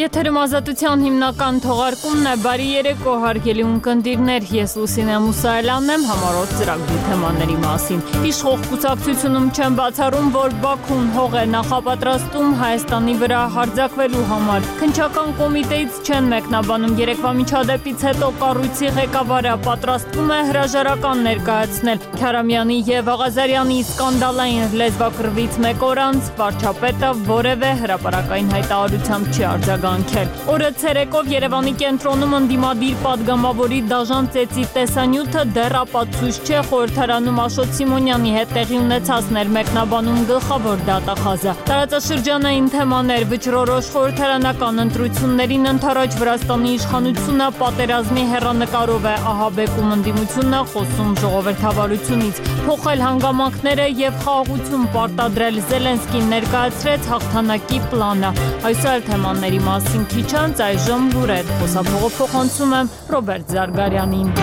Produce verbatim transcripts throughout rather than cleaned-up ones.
Եթերում ազատության հիմնական թողարկումն է, բարի երեկո հարգելի ունկնդիրներ, ես Լուսինե Մուսայելյանն եմ, համառոտ ծրագրի թեմաների մասին։ Իշխող կուսակցությունում չեն բացառում, որ Բաքուն հող է նախապատրաստում Հայաստանի վրա հարձակվելու համար։ Քննչական կոմիտեից չեն մեկնաբանում երեկվա միջադեպից հետո կառույցի ղեկավարը պատրաստվում է հրաժարական ներկայացնել Քարամյանի և Աղազարյանի սկանդալային լեզվակռվից մեկ օր անց վարչապետը որևէ հրապարակային հայտարարությամբ չի արձագանքել։ Օրը ցերեկով Երևանի կենտրոնում ընդդիմադիր պատգամավորի դաժան ծեծի տեսանյութը դեռ ապացույց չէ խորհրդարանում Աշոտ Սիմոնյանի հետ տեղի ունեցած ներմեկնաբանում գլխավոր դատախազը։ Տարածաշրջանային թեմաներ, վճռորոշ խորհրդարանական ընտրություններին ընդառաջ Վրաստանի իշխանությունը պատերազմի հեռանկարով է ահաբեկում ընդդիմությունը, խոսում ժողովրդավարությունից, փոխել հանգամանքները և խաղաղություն պարտադրել Զելենսկին ներկայացրեց հաղթանակի պլանը։ Այսօր թեմաների մասին քիչ անց այժմ լուրեր, խոսափողով փոխանցում եմ Ռոբերտ Զարգարյանին։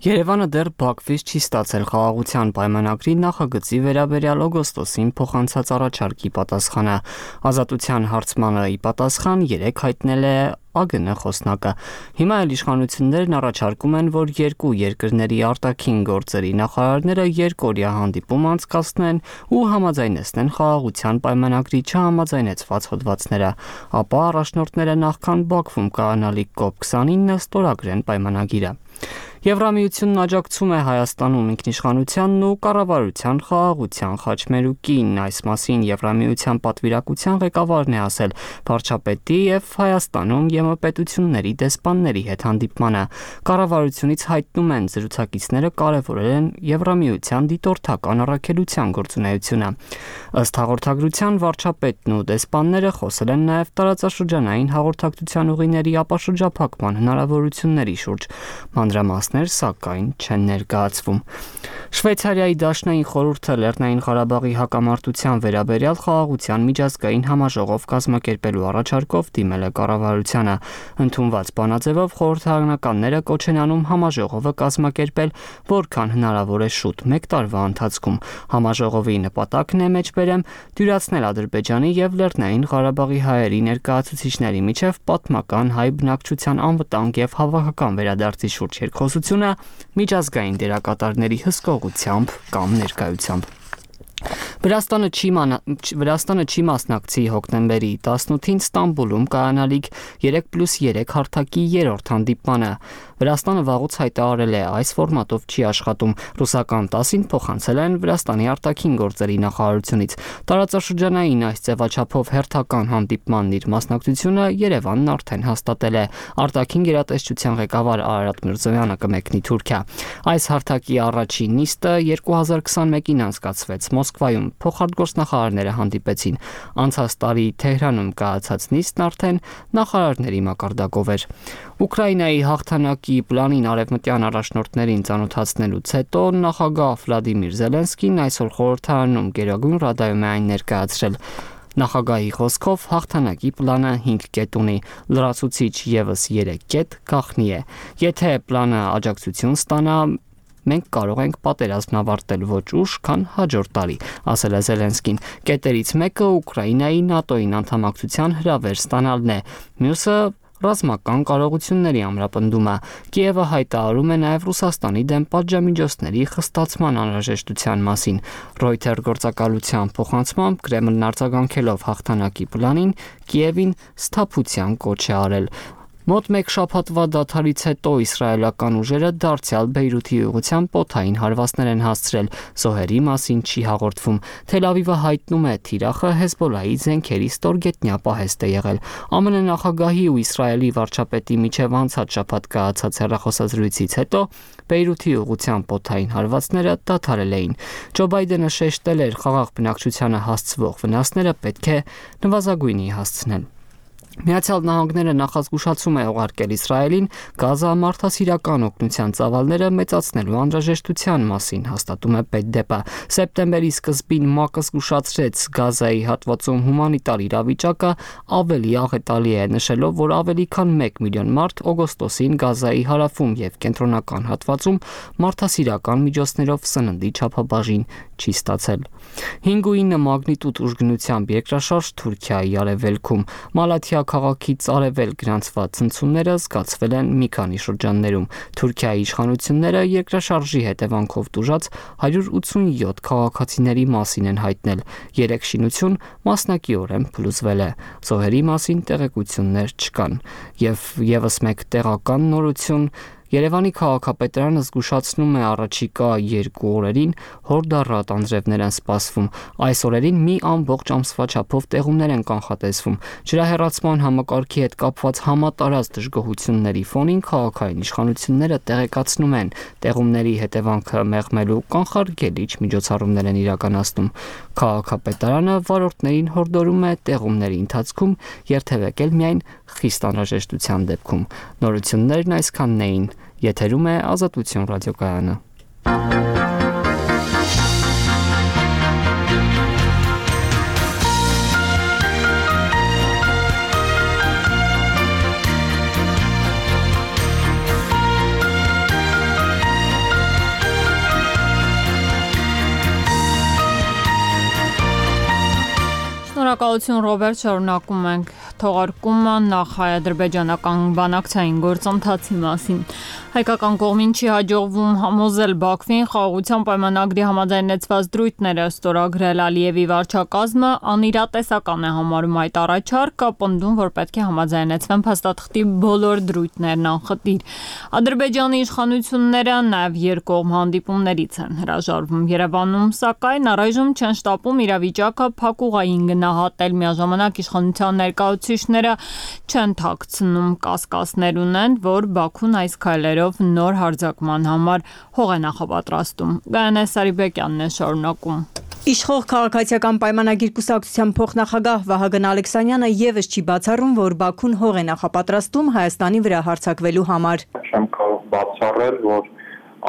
Երևանը դեռ Բաքվից չի ստացել խաղաղության պայմանագրի նախագծի վերաբերյալ օգոստոսին փոխանցած առաջարկի պատասխանը։ Ազատության հարցմանը ի պատասխան երեկ հայտնել է ԱԳՆ խոսնակը։ Հիմա էլ իշխանություններն առաջարկում են, որ երկու երկրների արտաքին գործերի նախարարները երկօրյա հանդիպում անցկացնեն ու համաձայնեցնեն խաղաղության պայմանագրի չհամաձայնեցված հոդվածները, ապա առաջնորդները նախքան Բաքվում կայանալիք կոպ քսանինը ստորագրեն պայմանագիրը։ Եվրամիությունն աջակցում է Հայաստանում ինքնիշխանությանն ու կառավարության խաղաղության խաչմերուկին։ Այս մասին Եվրամիության պատվիրակության ղեկավարն է ասել վարչապետի և Հայաստանում ԵՄ պետությունների դեսպանների հետ հանդիպմանը։ Կառավարությունից հայտնում են զրուցակիցները կարևորել են Եվրամիության դիտորդական առաքելության գործունեությունը։ Ըստ հաղորդագրության վարչապետն ու դեսպանները խոսել են նաև տարածաշրջանային հաղորդակցության ուղիների ապաշրջափակման հնարավորությունների շուրջ։ Մանրամասներ սակայն չեն ներկայացվում։ Շվեյցարիայի դաշնային խորհուրդը Լեռնային Ղարաբաղի հակամարտության վերաբերյալ խաղաղության միջազգային համաժողով կազմակերպելու առաջարկով դիմել է կառավարությանը։ Ընդունված բանաձևով խորհրդարանականները կոչ են անում համաժողովը կազմակերպել որքան հնարավոր է շուտ մեկ տարվա ընթացքում։ Համաժողովի նպատակն է մեջբերեմ դյուրացնել Ադրբեջանի և Լեռնային Ղարաբաղի հայերի ներկայացուցիչների միջև պատմական հայ բնակչության անվտանգ և հավաքական վերադարձի շուրջ երկխոսությունը միջազգային դերակատարների հսկողությամբ կամ ներկայությամբ։ Վրաստանը չի, ման... Վրաստանը չի մասնակցի հոկտեմբերի տասնութին Ստամբուլում կայանալիք երեք պլյուս երեք հարթակի երրորդ հանդիպմանը։ Վրաստանը վաղուց հայտարարել է այս ֆորմատով չի աշխատում։ Ռուսական տասին փոխանցել են Վրաստանի արտաքին գործերի նախարարությունից։ Տարածաշրջանային այս ձևաչափով հերթական հանդիպմանն իր մասնակցությունը Երևանն արդեն հաստատել է։ Արտաքին գերատեսչության ղեկավար Արարատ Միրզոյանը կմեկնի Թուրքիա։ Այս հարթակի առաջին նիստը երկու հազար քսանմեկին անցկացվեց Մոսկվայում։ Փոխարտգործնախարարները հանդիպեցին։ Անցած տարի Թեհրանում կայացած նիստն արդեն նախարարների մակարդակով էր։ Ուկրաինայի հաղթանակի պլանին արևմտյան առաջնորդներին ծանոթացնելուց հետո նախագահ Վլադիմիր Զելենսկին այսօր խորհրդարանում Գերագույն ռադայում է այն ներկայացրել։ Նախագահի խոսքով հաղթանակի պլանը հինգ կետ ունի, լրացուցիչ ևս երեք կետ գաղտնի է։ Եթե պլանը աջակցություն ստանա, մենք կարող ենք պատերազմն ավարտել ոչ ուշ, քան հաջորդ տարի, ասել է Զելենսկին։ Կետերից մեկը Ուկրաինայի ՆԱՏՕ-ին անդամակցության հրավեր ստանալն է, մյուսը ռազմական կարողությունների ամրապնդումը։ Կիևը հայտարարում է նաև Ռուսաստանի դեմ պատժամիջոցների խստացման անհրաժեշտության մասին։ Reuters գործակալության փոխանցմամբ Կրեմլն արձագանքելով հաղթանակի պլանին Կիևին սթափության կոչ է արել։ Մոտ մեկ շաբաթվա դադարից հետո իսրայելական ուժերը դարձյալ Բեյրութի ուղղությամբ օդային հարվածներ են հասցրել։ Զոհերի մասին չի հաղորդվում։ Թել Ավիվը հայտնում է թիրախը Հեզբոլլահի զենքերի ստորգետնյա պահեստ է եղել։ ԱՄՆ նախագահի ու Իսրայելի վարչապետի միջև անցած շաբաթ կայացած հեռախոսազրույցից հետո Բեյրութի ուղղությամբ օդային հարվածները դադարել էին։ Ջո Բայդենը շեշտել էր խաղաղ բնակչությանը հասցվող վնասները պետք է նվազագույնի հասցնել։ Միացյալ Նահանգները նախազգուշացում է ուղարկել Իսրայելին Գազա մարդասիրական օգնության ծավալները մեծացնելու անհրաժեշտության մասին, հաստատում է Պետդեպը։ Սեպտեմբերի սկզբին ՄԱԿ-ը զգուշացրեց Գազայի հատվածում հումանիտար իրավիճակը ավելի աղետալի է, նշելով, որ ավելի քան մեկ միլիոն մարդ օգոստոսին Գազայի հարավում և կենտրոնական հատվածում մարդասիրական միջոցներով սննդի չափաբաժին չի ստացել։ հինգ ու ինը մագնիտուդ ուժգնությամբ երկրաշարժ Թուրքիայի արևելքում Մալաթիա քաղաքից արևել գրանցված ցնցումները զգացվել են մի քանի շրջաններում։ Թուրքիայի իշխանությունները երկրաշարժի հետևանքով տուժած հարյուր ութսունյոթ քաղաքացիների մասին են հայտնել։ Երեք շինություն մասնակիորեն փլուզվել է։ Զոհերի մասին տեղեկություններ չկան։ Եվ եւս մեկ տեղական նորություն Երևանի քաղաքապետարանը զգուշացնում է առաջիկա երկու օրերին հորդառատ անձրևներ են սպասվում։ Այս օրերին մի ամբողջ ամսվա չափով տեղումներ են կանխատեսվում։ Ջրահեռացման համակարգի հետ կապված համատարած դժգոհությունների ֆոնին քաղաքային իշխանությունները տեղեկացնում են, տեղումների հետևանքը մեղմելու կանխարգելիչ միջոցառումներ են իրականացնում։ Քաղաքապետարանը վարորդներին հորդորում է տեղումների ընթացքում երթևեկել միայն խիստ անհրաժեշտության դեպքում։ Նորություններն այսքանն էին։ Եթերում է Ազատություն ռադիոկայանը։ Շնորհակալություն Ռոբերտ, շարունակում ենք թողարկումը նախ հայ-ադրբեջանական բանակցային գործընթացի մասին։ Հայկական կողմին չի հաջողվում համոզել Բաքվին խաղաղության պայմանագրի համաձայնեցված դրույթները ստորագրել։ Ալիևի վարչակազմը անիրատեսական է համարում այդ առաջարկը, պնդում, որ պետք է համաձայնեցվեն փաստաթղթի բոլոր դրույթներն անխտիր։ Ադրբեջանի իշխանությունները նաև երկկողմ հանդիպումներից են հրաժարվում։ Երևանում, սակայն, առայժմ չեն շտապում իրավիճակը փակուղային գնահատել։ Միաժամանակ իշխանության ներկայացուցիչները չեն թաքցնում կասկածներ ունեն, որ Բաքուն այս քայլերով նոր հարձակման համար հող է նախապատրաստում։ Գայանե Սարիբեկյանն է շարունակում։ Իշխող քաղաքացիական պայմանագիր կուսակցության փոխնախագահ Վահագն Ալեքսանյանը եւս չի բացառում, որ Բաքուն հող է նախապատրաստում Հայաստանի վրա հարձակվելու համար։ Չեմ կարող բացառել, որ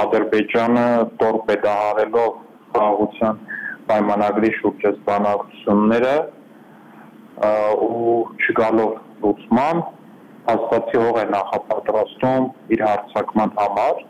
Ադրբեջանը տորպեդահարելով խաղաղության պայմանագրի շուրջ բանակցությունները ու չգալով լուծման հաստատի հող է նախապատրաստում իր հարձակման համար,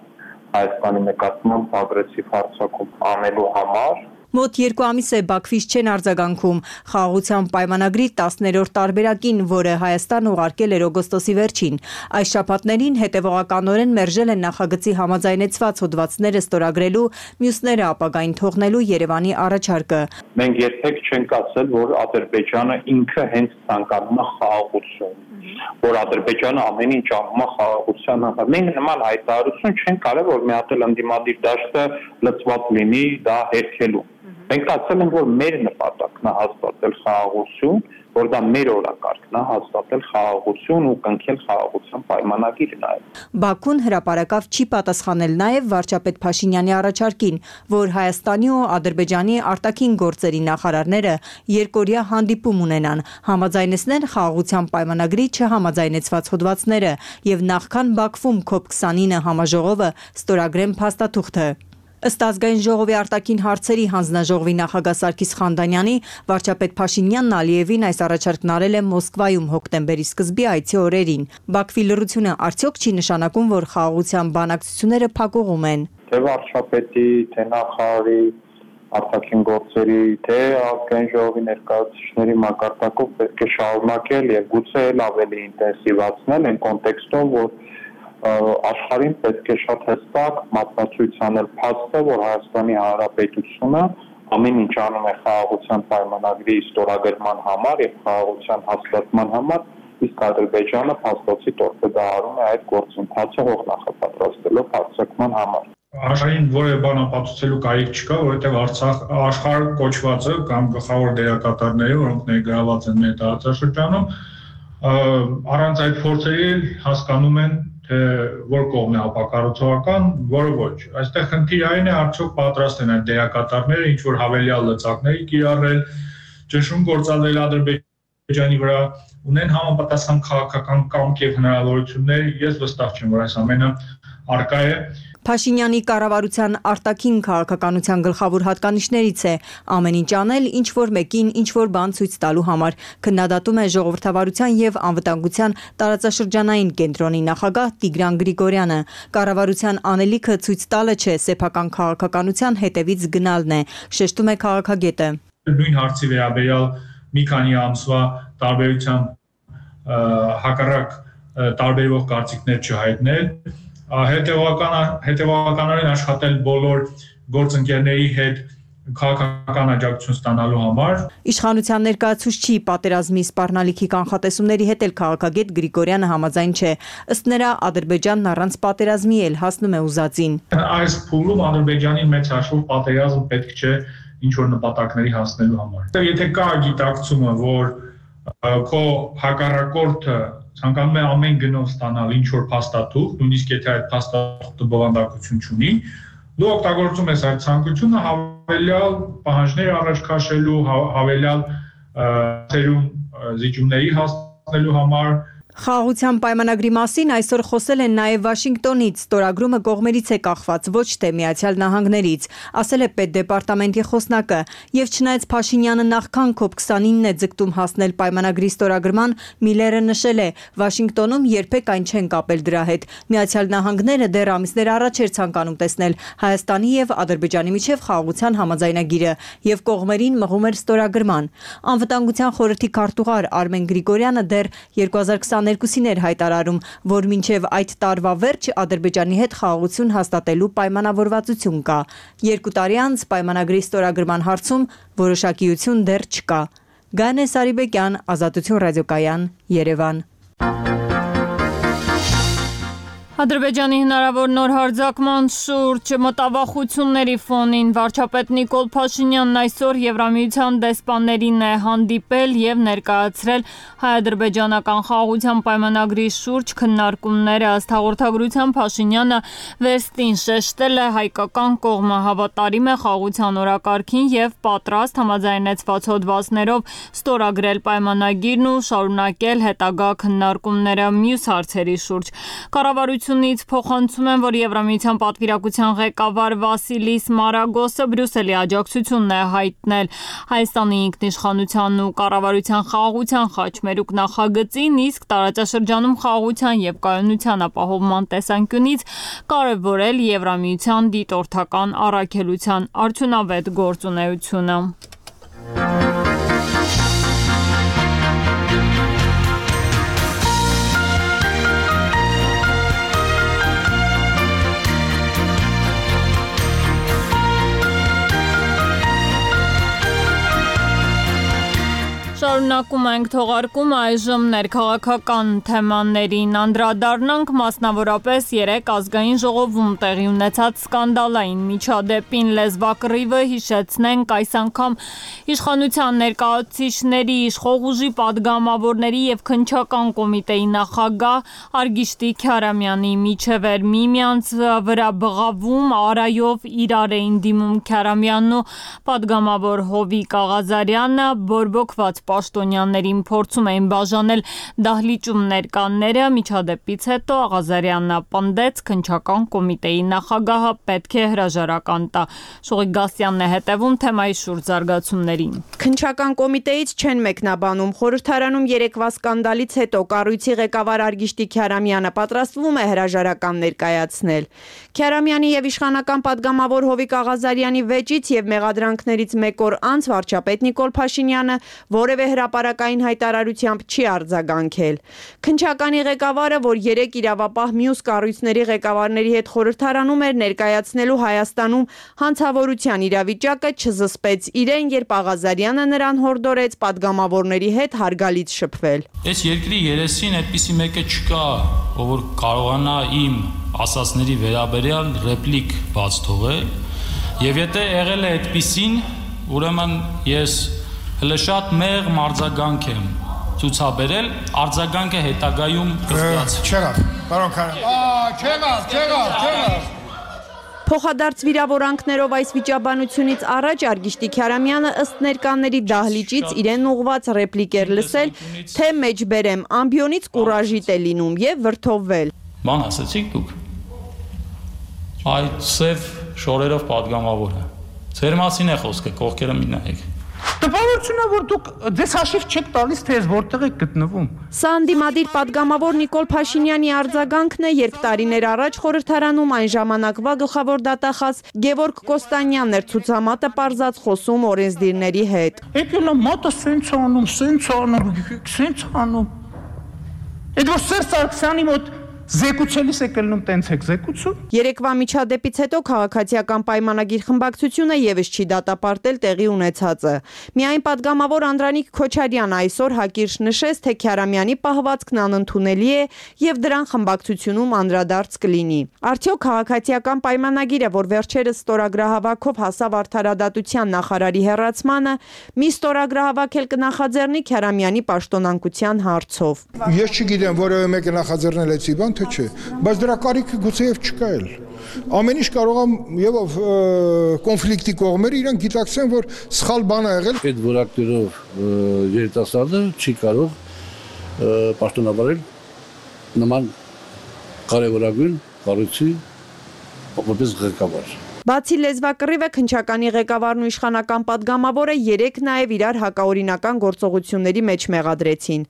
Հայաստանի նկատմամբ ագրեսիվ հարձակում անելու համար։ Մոտ երկու ամիս է Բաքվից չեն արձագանքում խաղաղության պայմանագրի տասներորդ տարբերակին, որը Հայաստան ուղարկել էր օգոստոսի վերջին։ Այս շաբաթներին հետևողականորեն մերժել են նախագծի համաձայնեցված հոդվածները ստորագրելու, մյուսները ապագային թողնելու Երևանի առաջարկը։ Մենք երբեք չենք ասել, որ Ադրբեջանը ինքը հենց ցանկանում է խաղաղություն, որ Ադրբեջանը ամեն ինչ անում է խաղաղության համար։ Մենք նման հայտարարություն չենք արել, որ մի հատ էլ ընդդիմադիր դաշտը լծված լինի դա հերքելու։ Մենք ասել ենք, որ մեր նպատակն է հաստատել խաղաղություն, որ դա մեր օրակարգն է հաստատել խաղաղություն ու կնքել խաղաղության պայմանագիրը նաև։ Բաքուն հրապարակավ չի պատասխանել նաև վարչապետ Փաշինյանի առաջարկին, որ Հայաստանի ու Ադրբեջանի արտաքին գործերի նախարարները երկօրյա հանդիպում ունենան, համաձայնեցնեն խաղաղության պայմանագրի չհամաձայնեցված հոդվածները եւ նախքան Բաքվում քոփ քսանինը համաժողովը ստորագրեն փաստաթուղթը։ Ըստ ազգային ժողովի արտաքին հարցերի հանձնաժողովի նախագահ Սարգիս Խանդանյանի, վարչապետ Փաշինյանն Ալիևին այս առաջարկն արել է Մոսկվայում հոկտեմբերի սկզբի այցի օրերին։ Բաքվի լռությունը արդյոք չի նշանակում, որ խաղաղության բանակցությունները փակուղում են։ Թե վարչապետի, թե նախարարի, արտաքին գործերի, թե ազգային ժողովի ներկայացուցիչների մակարդակով պետք է շարունակել եւ գուցե էլ ավելի ինտենսիվացնել այն կոնտեքստում, որ աշխարհին պետք է շատ հստակ մատնացույց անել փաստը, որ Հայաստանի Հանրապետությունը ամեն ինչ անում է խաղաղության պայմանագրի ստորագրման համար եւ խաղաղության հաստատման համար, իսկ Ադրբեջանը փաստացի տորպեդահարում է այդ գործընթացը հող նախապատրաստելով հարձակման համար։ Աշխարհին որևէ բան ապացուցելու կարիք չկա, որովհետեւ Արցախ աշխարհ կոչվածը կամ գլխավոր դերակատարները, որոնք ներգրաված են մեր տարածաշրջանում, առանց այդ փորձերի հասկանում են թե որ կողմն է ապակառուցողական, որը ոչ։ Այստեղ խնդիրը այն է, արդյոք պատրաստ են այդ դերակատարները ինչ որ հավելյալ լծակների կիրառել, ճնշում գործադրել Ադրբեջանի վրա, ունեն համապատասխան քաղաքական կամք եւ հնարավորություններ։ Ես վստահ չեմ, որ այս ամենը արկա է։ Փաշինյանի կառավարության արտաքին քաղաքականության գլխավոր հատկանիշներից է ամեն ինչ անել, ինչ որ մեկին ինչ որ բան ցույց տալու համար, քննադատում է ժողովրդավարության եւ անվտանգության տարածաշրջանային կենտրոնի նախագահ Տիգրան Գրիգորյանը։ Կառավարության անելիքը ցույց տալը չէ, սեփական քաղաքականության հետևից գնալն է, շեշտում է քաղաքագետը։ Նույն հարցի վերաբերյալ մի քանի ամսվա տարբերությամբ հակառակ տարբերվող կարծիքներ չհայտնել, հետևականորեն աշխատել բոլոր գործընկերների հետ քաղաքական աջակցություն ստանալու համար։ Իշխանության ներկայացուցչի պատերազմի սպառնալիքի կանխատեսումների հետ էլ քաղաքագետ Գրիգորյանը համաձայն չէ։ Ըստ նրա, Ադրբեջանն առանց պատերազմի էլ հասնում է ուզածին։ Այս փուլում Ադրբեջանին մեծ հաշվով պատերազմ պետք չէ ինչ որ նպատակների հասնելու համար։ Եթե կա գիտակցումը, որ քո հակառակորդը ցանկանում է ամեն գնով ստանալ ինչ որ փաստաթուղթ, նույնիսկ եթե այդ փաստաթուղթը բովանդակություն չունի, դու օգտագործում ես այդ ցանկությունը հավելյալ պահանջներ առաջ քաշելու, հավելյալ ծերում զիջումների հասնելու համար։ Խաղաղության պայմանագրի մասին այսօր խոսել են նաև Վաշինգտոնից, ստորագրումը կողմերից է կախված, ոչ թե Միացյալ Նահանգներից, ասել է պետդեպարտամենտի խոսնակը, եւ չնայած Փաշինյանը նախքան քոփ քսանինն է ձգտում հասնել պայմանագրի ստորագրման, Միլերը նշել է, Վաշինգտոնում երբեք այն չեն կապել դրա հետ։ Միացյալ Նահանգները դեռ ամիսներ առաջ էր ցանկանում տեսնել Հայաստանի եւ Ադրբեջանի միջև խաղաղության համաձայնագիրը եւ կողմերին մղում էր ստորագրման։ Անվտանգության խորհրդի քարտուղար Արմեն Գրիգորյանը դեռ երկու հազար քսաներկուսին էր հայտարարում, որ մինչև այդ տարվա վերջ Ադրբեջանի հետ խաղաղություն հաստատելու պայմանավորվածություն կա։ Երկու տարի անց պայմանագրի ստորագրման հարցում որոշակիություն դեռ չկա։ Գանե Սարիբեկյան, Ազատություն ռադիոկայան, Երևան։ Ադրբեջանի հնարավոր նոր հարձակման շուրջ մտավախությունների ֆոնին վարչապետ Նիկոլ Փաշինյանն այսօր Եվրամիության դեսպաններին է հանդիպել եւ ներկայացրել հայ-ադրբեջանական խաղաղության պայմանագրի շուրջ քննարկումները։ Ըստ հաղորդագրության Փաշինյանը վերստին շեշտել է հայկական կողմը հավատարիմ է խաղաղության օրակարգին եւ պատրաստ համաձայնեցված հոդվածներով ստորագրել պայմանագիրն ու շարունակել հետագա քննարկումները մյուս հարցերի շուրջ։ Կառավարությունից փոխանցում են, որ Եվրամիության պատվիրակության ղեկավար Վասիլիս Մարագոսը Բրյուսելի աջակցությունն է հայտնել Հայաստանի ինքնիշխանության ու կառավարության խաղաղության խաչմերուկ նախագծին, իսկ տարածաշրջանում խաղաղության եւ կայունության ապահովման տեսանկյունից կարևորել Եվրամիության դիտորդական առաքելության արդյունավետ գործունեությունը։ Շարունակում ենք թողարկումը այժմ ներքաղաքական թեմաներին անդրադառնանք, մասնավորապես երեկ ազգային ժողովում տեղի ունեցած սկանդալային միջադեպին լեզվակռիվը հիշեցնենք այս անգամ իշխանության ներկայացուցիչների, իշխող ուժի падգամավորների եւ քննչական կոմիտեի նախագահ Արգիշտի Քարամյանի միջև էր միմյանց վրա բղավում, արայով իրար էին դիմում Քարամյանն ու падգամավոր Հովիկ Աղազարյանը, բորբոքված պաշտոնյաներին փորձում էին բաժանել դահլիճում ներկաները, միջադեպից հետո Աղազարյանը պնդեց քննչական կոմիտեի նախագահը պետք է հրաժարական տա։ Շուղիկ Գասյանն է հետևում թեմայի շուրջ զարգացումներին։ Քննչական կոմիտեից չեն մեկնաբանում, խորհրդարանում երեկվա սկանդալից հետո կառույցի ղեկավար Արգիշտի Քարամյանը պատրաստվում է հրաժարական ներկայացնել։ Քարամյանի եւ իշխանական падգամավոր Հովիկ Աղազարյանի վեճից եւ մեղադրանքներից մեկ օր անց վարչապետ Նիկոլ Փաշինյանը որևէ հրապարակային հայտարարությամբ չի արձագանքել։ Քննչականի ղեկավարը, որ երեք իրավապահ մյուս կառույցների ղեկավարների հետ խորհրդարանում էր ներկայացնելու Հայաստանում հանցավորության իրավիճակը, չզսպեց իրեն, երբ Աղազարյանը նրան հորդորեց падգամավորների հետ հարգալից շփվել։ Այս երկրի երեսին այդպիսի մեկը չկա, ով որ կարողանա իմ ասածների վերաբերյալ ռեպլիկ բաց թողել, եւ եթե եղել է այդպիսին, ուրեմն ես հələ շատ մեղմ արձագանք եմ ցուցաբերել, արձագանքը հետագայում կստացվի։ Չեղավ, պարոն Քարամյան։ Չեղավ, չեղավ, չեղավ։ Փոխադարձ վիրավորանքներով այս վիճաբանությունից առաջ Արգիշտի Քարամյանը ըստ ներկաների դահլիճից իրեն ուղված ռեպլիկ էր լսել, թե մեջբերեմ ամբիոնից կուրաժիտ է լինում եւ վրթովվել։ Ման ասացիք դուք։ այդ սև շորերով падգամավորը։ Ձեր մասին է խոսքը, կողքերը մի նայեք։ Տպավորությունն է, որ դուք ձեզ հաշիվ չեք տալիս, թե ես որտեղ եք գտնվում։ Սա անդիմադիր падգամավոր Նիկոլ Փաշինյանի արձագանքն է, երբ տարիներ առաջ խորհրդարանում այն ժամանակվա գլխավոր դատախազ Գևորգ Կոստանյանն էր ցուցամատը պարզած խոսում օրենսդիրների հետ։ Եկել է մատը սենց անում, սենց անում, սենց անում։ Այդ որ Սերժ Սարգսյանի մոտ Զեկուցելիս եք ելնում տենց եք զեկուցում։ Երեկվա միջադեպից հետո քաղաքացիական պայմանագիր խմբակցությունը եւս չի դատապարտել տեղի ունեցածը։ Միայն падգամավոր Անդրանիկ Քոչարյանը այսօր հակիրճ նշեց, թե Քյարամյանի պահվածքն անընդունելի է եւ դրան խմբակցությունում անդրադարձ կլինի։ Արդյոք քաղաքացիական պայմանագիրը, որ վերջերս ստորագրահավաքով հասավ արդարադատության նախարարի հեռացմանը, մի ստորագրահավաք էլ կնախաձեռնի Քյարամյանի պաշտոնանկության հարցով։ Ես չգիտեմ, որևէ մեկը նախաձեռնել էցի բան թե չէ, բայց դրա կարիքը գուցեև չկա էլ։ Ամեն ինչ կարող է եւ կոնֆլիկտի կողմերը իրենք գիտակցեն, որ սխալ բան է եղել։ Այդ որակներով երիտասարդը չի կարող պաշտոնավարել նման կարևորագույն կառույցի որպես ղեկավար։ Բացի լեզվակռիվը, քննչականի ղեկավարն ու իշխանական падգամավորը երեք նաև իրար հակաօրինական գործողությունների մեջ մեղադրեցին։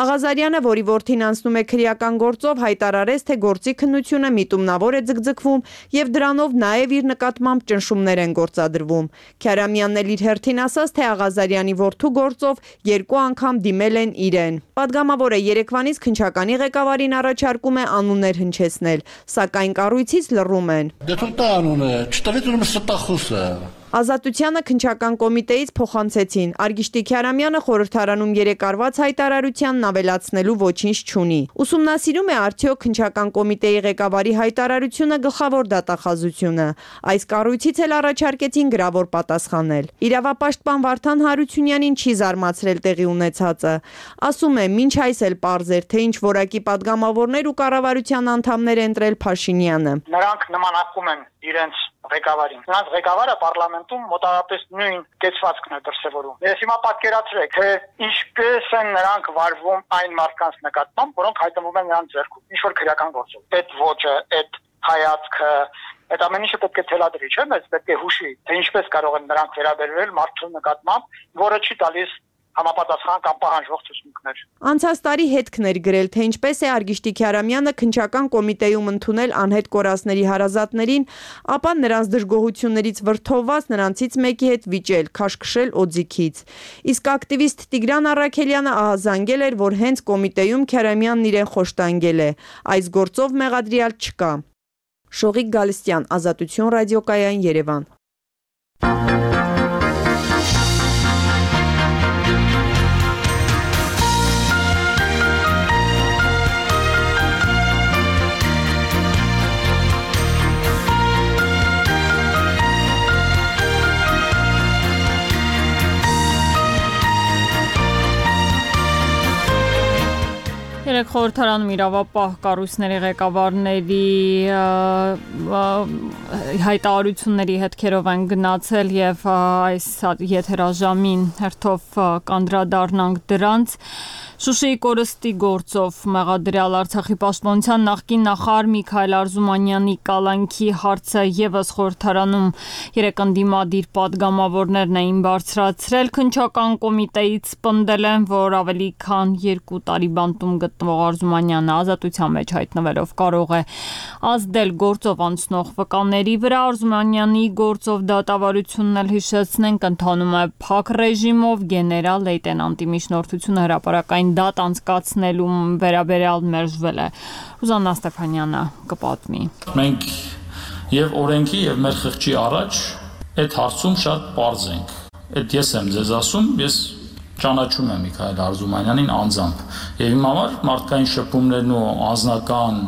Աղազարյանը, որի որդին անցնում է քրեական գործով, հայտարարեց, թե գործի քննությունը միտումնավոր է ձգձգվում եւ դրանով նաև իր նկատմամբ ճնշումներ են գործադրվում։ Քյարամյանն էլ իր հերթին ասաց, թե Աղազարյանի որդու գործով երկու անգամ դիմել են իրեն։ Падգամավորը երեկվանից քննչականի ղեկավարին առաջարկում է անուններ հնչեցնել, սակայն կառույցից լռում են։ Դե թող տա անունը Չտվեց ուրեմն ստախոսը։ Ազատությանը քննչական կոմիտեից փոխանցեցին։ Արգիշտի Քյարամյանը խորհրդարանում երեկ արված հայտարարությանն ավելացնելու ոչինչ չունի։ Ուսումնասիրում է արդյոք քննչական կոմիտեի ղեկավարի հայտարարությունը գլխավոր դատախազությունը։ Այս կառույցից էլ առաջարկեցին գրավոր պատասխանել։ Իրավապաշտպան Վարդան Հարությունյանին չի զարմացրել տեղի ունեցածը։ Ասում է, մինչ այս էլ պարզ էր, թե ինչ որակի падգամավորներ ու կառավարության անդամներ ընտրել Փաշինյանը։ Նրանք նմանակում են իրենց ղեկավարին։ Նրանց ղեկավարը պարլամենտում մոտավորապես նույն կեցվածքն է դրսևորում։ Ես հիմա պատկերացրեք, թե ինչպես են նրանք վարվում այն մարդկանց նկատմամբ, որոնք հայտնվում են նրանց ձեռքում, ինչ որ քրեական գործով։ Այդ ոճը, այդ հայացքը, այդ ամեն ինչը պետք է թելադրի, չէ՞, մեզ պետք է հուշի, թե ինչպես կարող են նրանք վերաբերվել մարդու նկատմամբ, որը չի տալիս համապատասխան կամ պահանջող ցուցմունքներ։ Անցած տարի հետքն էր գրել, թե ինչպես է Արգիշտի Քյարամյանը քննչական կոմիտեում ընդունել անհետ կորածների հարազատներին, ապա նրանց դժգոհություններից վրդովված նրանցից մեկի հետ վիճել, քաշքշել օձիքից։ Իսկ ակտիվիստ Տիգրան Առաքելյանը ահազանգել էր, որ հենց կոմիտեում Քյարամյանն իրեն խոշտանգել է։ Այս գործով մեղադրյալ չկա։ Շողիկ Գալստյան, Ազատություն ռադիոկայան, Երևան։ Երեք խորհրդարանում իրավապահ կառույցների ղեկավարների հայտարարությունների հետքերով են գնացել եւ այս եթերաժամին հերթով կանդրադառնանք դրանց։ Շուշիի կորստի գործով մեղադրյալ Արցախի պաշտպանության նախկին նախարար Միքայել Արզումանյանի կալանքի հարցը եւս խորհրդարանում երեք ընդդիմադիր падգամավորներն էին բարձրացրել։ Քննչական կոմիտեից պնդել են, որ ավելի քան երկու տարի բանտում գտնվող Արզումանյանը ազատության մեջ հայտնվելով կարող է ազդել գործով անցնող վկաների վրա։ Արզումանյանի գործով դատավարությունն էլ հիշեցնենք ընթանում է փակ ռեժիմով, գեներալ լեյտենանտի միջնորդությունը հրապարակային դատ անցկացնելու վերաբերյալ մերժվել է։ Ռուզաննա Ստեփանյանը կպատմի։ Մենք եւ օրենքի եւ մեր խղճի առաջ այդ հարցում շատ պարզ ենք։ Այդ ես եմ ձեզ ասում, ես ճանաչում եմ Միքայել Արզումանյանին անձամբ եւ իմ համար մարդկային շփումներն ու անձնական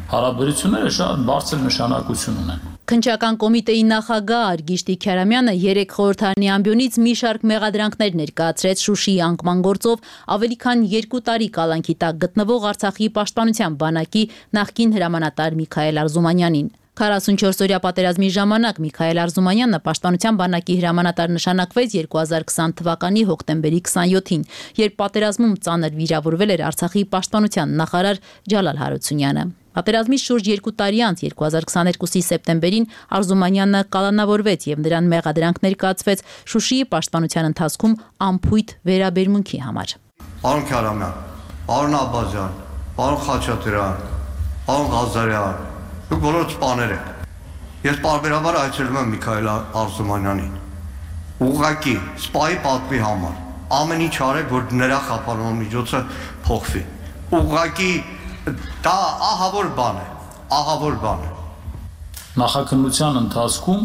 հարաբերությունները շատ բարձր նշանակություն ունեն։ Քննչական կոմիտեի նախագահ Արգիշտի Քյարամյանը երեք խորհրդարանի ամբիոնից մի շարք մեղադրանքներ ներկայացրեց Շուշիի անկման գործով ավելի քան երկու տարի կալանքի տակ գտնվող Արցախի պաշտպանության բանակի նախկին հրամանատար Միքայել Արզումանյանին։ քառասունչորս օրյա պատերազմի ժամանակ Միքայել Արզումանյանը պաշտպանության բանակի հրամանատար նշանակվեց երկու հազար քսան թվականի հոկտեմբերի քսանյոթին, երբ պատերազմում ծանր վիրավորվել էր Արցախի պաշտպանության նախարար Ջալալ Հարությունյանը։ Պատերազմից շուրջ երկու տարի անց երկու հազար քսաներկուսի սեպտեմբերին Արզումանյանը կալանավորվեց եւ նրան մեղադրանք ներկայացվեց Շուշիի պաշտպանության ընթացքում անփույթ վերաբերմունքի համար։ Պարոն Քարամյան, պարոն Աբազյան, պարոն Խաչատրյան, պարոն Ղազարյան, դուք բոլորը սպաներ եք։ Ես պարբերաբար այցելում եմ Միքայել Արզումանյանին։ Ուղղակի սպայի պատվի համար ամեն ինչ արեք, որ նրա խափանման միջոցը փոխվի։ Ուղղակի դա ահավոր բան է, ահավոր բան է։ Նախաքննության ընթացքում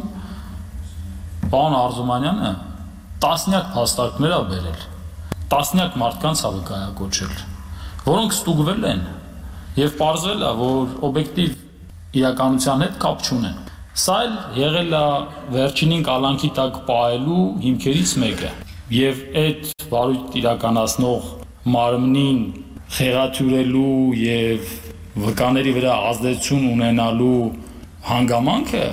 պարոն Արզումանյանը տասնյակ փաստարկներ ա բերել, տասնյակ մարդկանց ա վկայակոչել, որոնք ստուգվել են եւ պարզվել ա, որ օբյեկտիվ իրականության հետ կապ չունեն։ Սա էլ եղել ա վերջինին կալանքի տակ պահելու հիմքերից մեկը եւ այդ վարույթ իրականացնող մարմնին խեղաթյուրելու եւ վկաների վրա ազդեցություն ունենալու հանգամանքը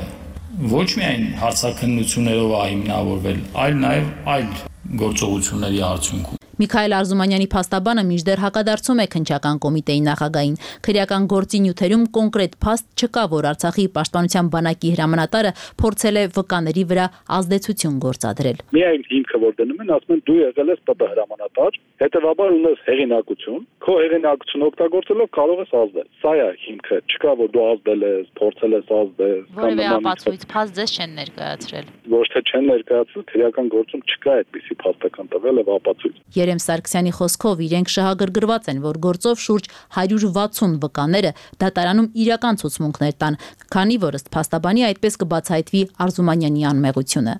ոչ միայն հարցաքննություններով է հիմնավորվել, այլ նաեւ այլ գործողությունների արդյունքում։ Միքայել Արզումանյանի փաստաբանը մինչդեռ հակադարձում է քննչական կոմիտեի նախագահին։ Քրեական գործի նյութերում կոնկրետ փաստ չկա, որ Արցախի պաշտպանության բանակի հրամանատարը փորձել է վկաների վրա ազդեցություն գործադրել։ Միայն հիմքը որ դնում են, ասում են դու եղել ես ՊՊ հրամանատար, հետևաբար ունես հեղինակություն, քո հեղինակությունը օգտագործելով կարող ես ազդել։ Սա է հիմքը, չկա որ դու ազդել ես, փորձել ես ազդել, որևէ ապացույց փաստ ձեզ չեն ներկայացրել։ Ոչ թե չեն ներկայացրել, քրեական գործում չկա այդպիսի փաստական տվյալ եւ ապացույց։ Երեմ Սարգսյանի խոսքով իրենք շահագրգռված են, որ գործով շուրջ հարյուր վաթսուն վկաները դատարանում իրական ցուցմունքներ տան, քանի որ ըստ փաստաբանի այդպես կբացահայտվի Արզումանյանի անմեղությունը։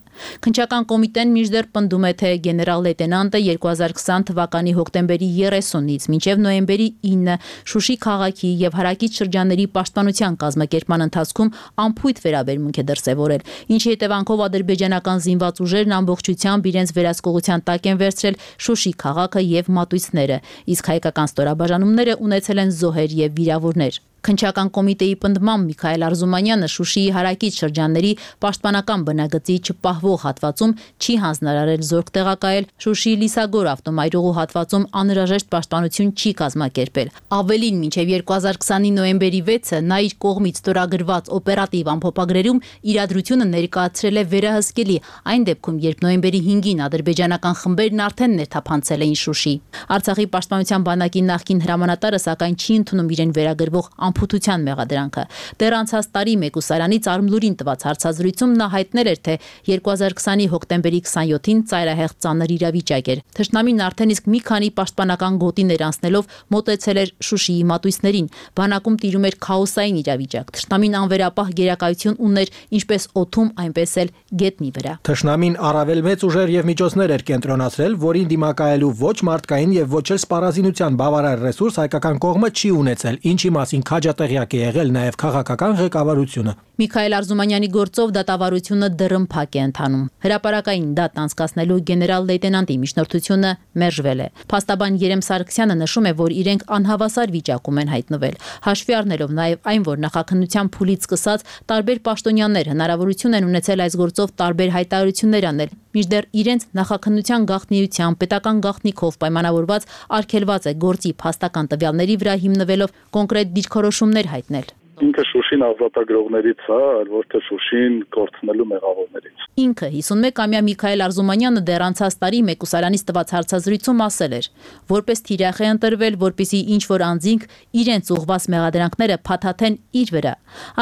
Քննչական կոմիտեն մինչդեռ պնդում է, թե գեներալ լեյտենանտը երկու հազար քսան թվականի հոկտեմբերի երեսունից մինչև նոյեմբերի ինը Շուշի քաղաքի եւ հարակից շրջանների պաշտպանության կազմակերպման ընթացքում անփույթ վերաբերմունք է դրսեւորել, ինչի հետևանքով ադրբեջանական զինված ուժերն ամբողջությամբ իրենց վերահսկողության տակ են վերցրել Շուշի քաղաքը եւ մատույցները, իսկ հայկական ստորաբաժանումները ունեցել են զոհեր եւ վիրավորներ։ Քննչական կոմիտեի պնդմամբ Միքայել Արզումանյանը Շուշիի հարակից շրջանների պաշտպանական բնագծի չպահվող հատվածում չի հանձնարարել զորք տեղակայել, Շուշիի Լիսագոր ավտոմայրուղու հատվածում անհրաժեշտ պաշտպանություն չի կազմակերպել։ Ավելին, մինչև երկու հազար քսանի նոյեմբերի վեցը նա իր կողմից ստորագրված օպերատիվ ամփոփագրերում իրադրությունը ներկայացրել է վերահսկելի, այն դեպքում, երբ նոյեմբերի հինգին ադրբեջանական խմբերն արդեն ներթափանցել էին Շուշի։ Արցախի պաշտպանության բանակի նախկին հրամանատարը սակայն չի ընդունում իրեն վերագրվող անփութության մեղադրանքը։ Դեռ անցած տարի Մեկուսարանից Արմլուրին տված հարցազրույցում նա հայտնել էր, թե երկու հազար քսանի հոկտեմբերի քսանյոթին ծայրահեղ ծանր իրավիճակ էր։ Թշնամին արդեն իսկ մի քանի պաշտպանական գոտիներ անցնելով մոտեցել էր Շուշիի մատույցներին։ Բանակում տիրում էր քաոսային իրավիճակ։ Թշնամին անվերապահ գերակայություն ուներ ինչպես օդում, այնպես էլ գետնի վրա։ Թշնամին առավել մեծ ուժեր եւ միջոցներ էր կենտրոնացրել, որին դիմակայելու ոչ մարդկային եւ ոչ էլ սպառազինության բավարար ռեսուրս հայկական կողմը չի ունեցել, ինչի մասին քաջատեղյակ է եղել նաև քաղաքական ղեկավարությունը։ Միքայել Արզումանյանի գործով դատավարությունը դռնփակ է ընթանում։ Հրապարակային դատ անցկացնելու գեներալ լեյտենանտի միջնորդությունը մերժվել է։ Փաստաբան Երեմ Սարգսյանը նշում է, որ իրենք անհավասար վիճակում են հայտնվել, հաշվի առնելով նաև այն, որ նախաքննության փուլից սկսած տարբեր պաշտոնյաներ հնարավորություն են ունեցել այս գործով տարբեր հայտարարություններ անել, մինչդեռ իրենց նախաքննության գաղտնիության պետական գաղտնիքով պայմանավորված արգելված է գործի փաստական տվյալների վրա հիմնվելով կոնկրետ դիրքորոշումներ հայտնել։ Ինքը Շուշին ազատագրողներից է, այլ ոչ թե Շուշին կորցնելու մեղավորներից։ Ինքը հիսունմեկամյա Միքայել Արզումանյանը դեռ անցած տարի Մեկուսարանից տված հարցազրույցում ասել էր, որպես թիրախ է ընտրվել, որպեսզի ինչ որ անձինք իրենց ուղղված մեղադրանքները փաթաթեն իր վրա։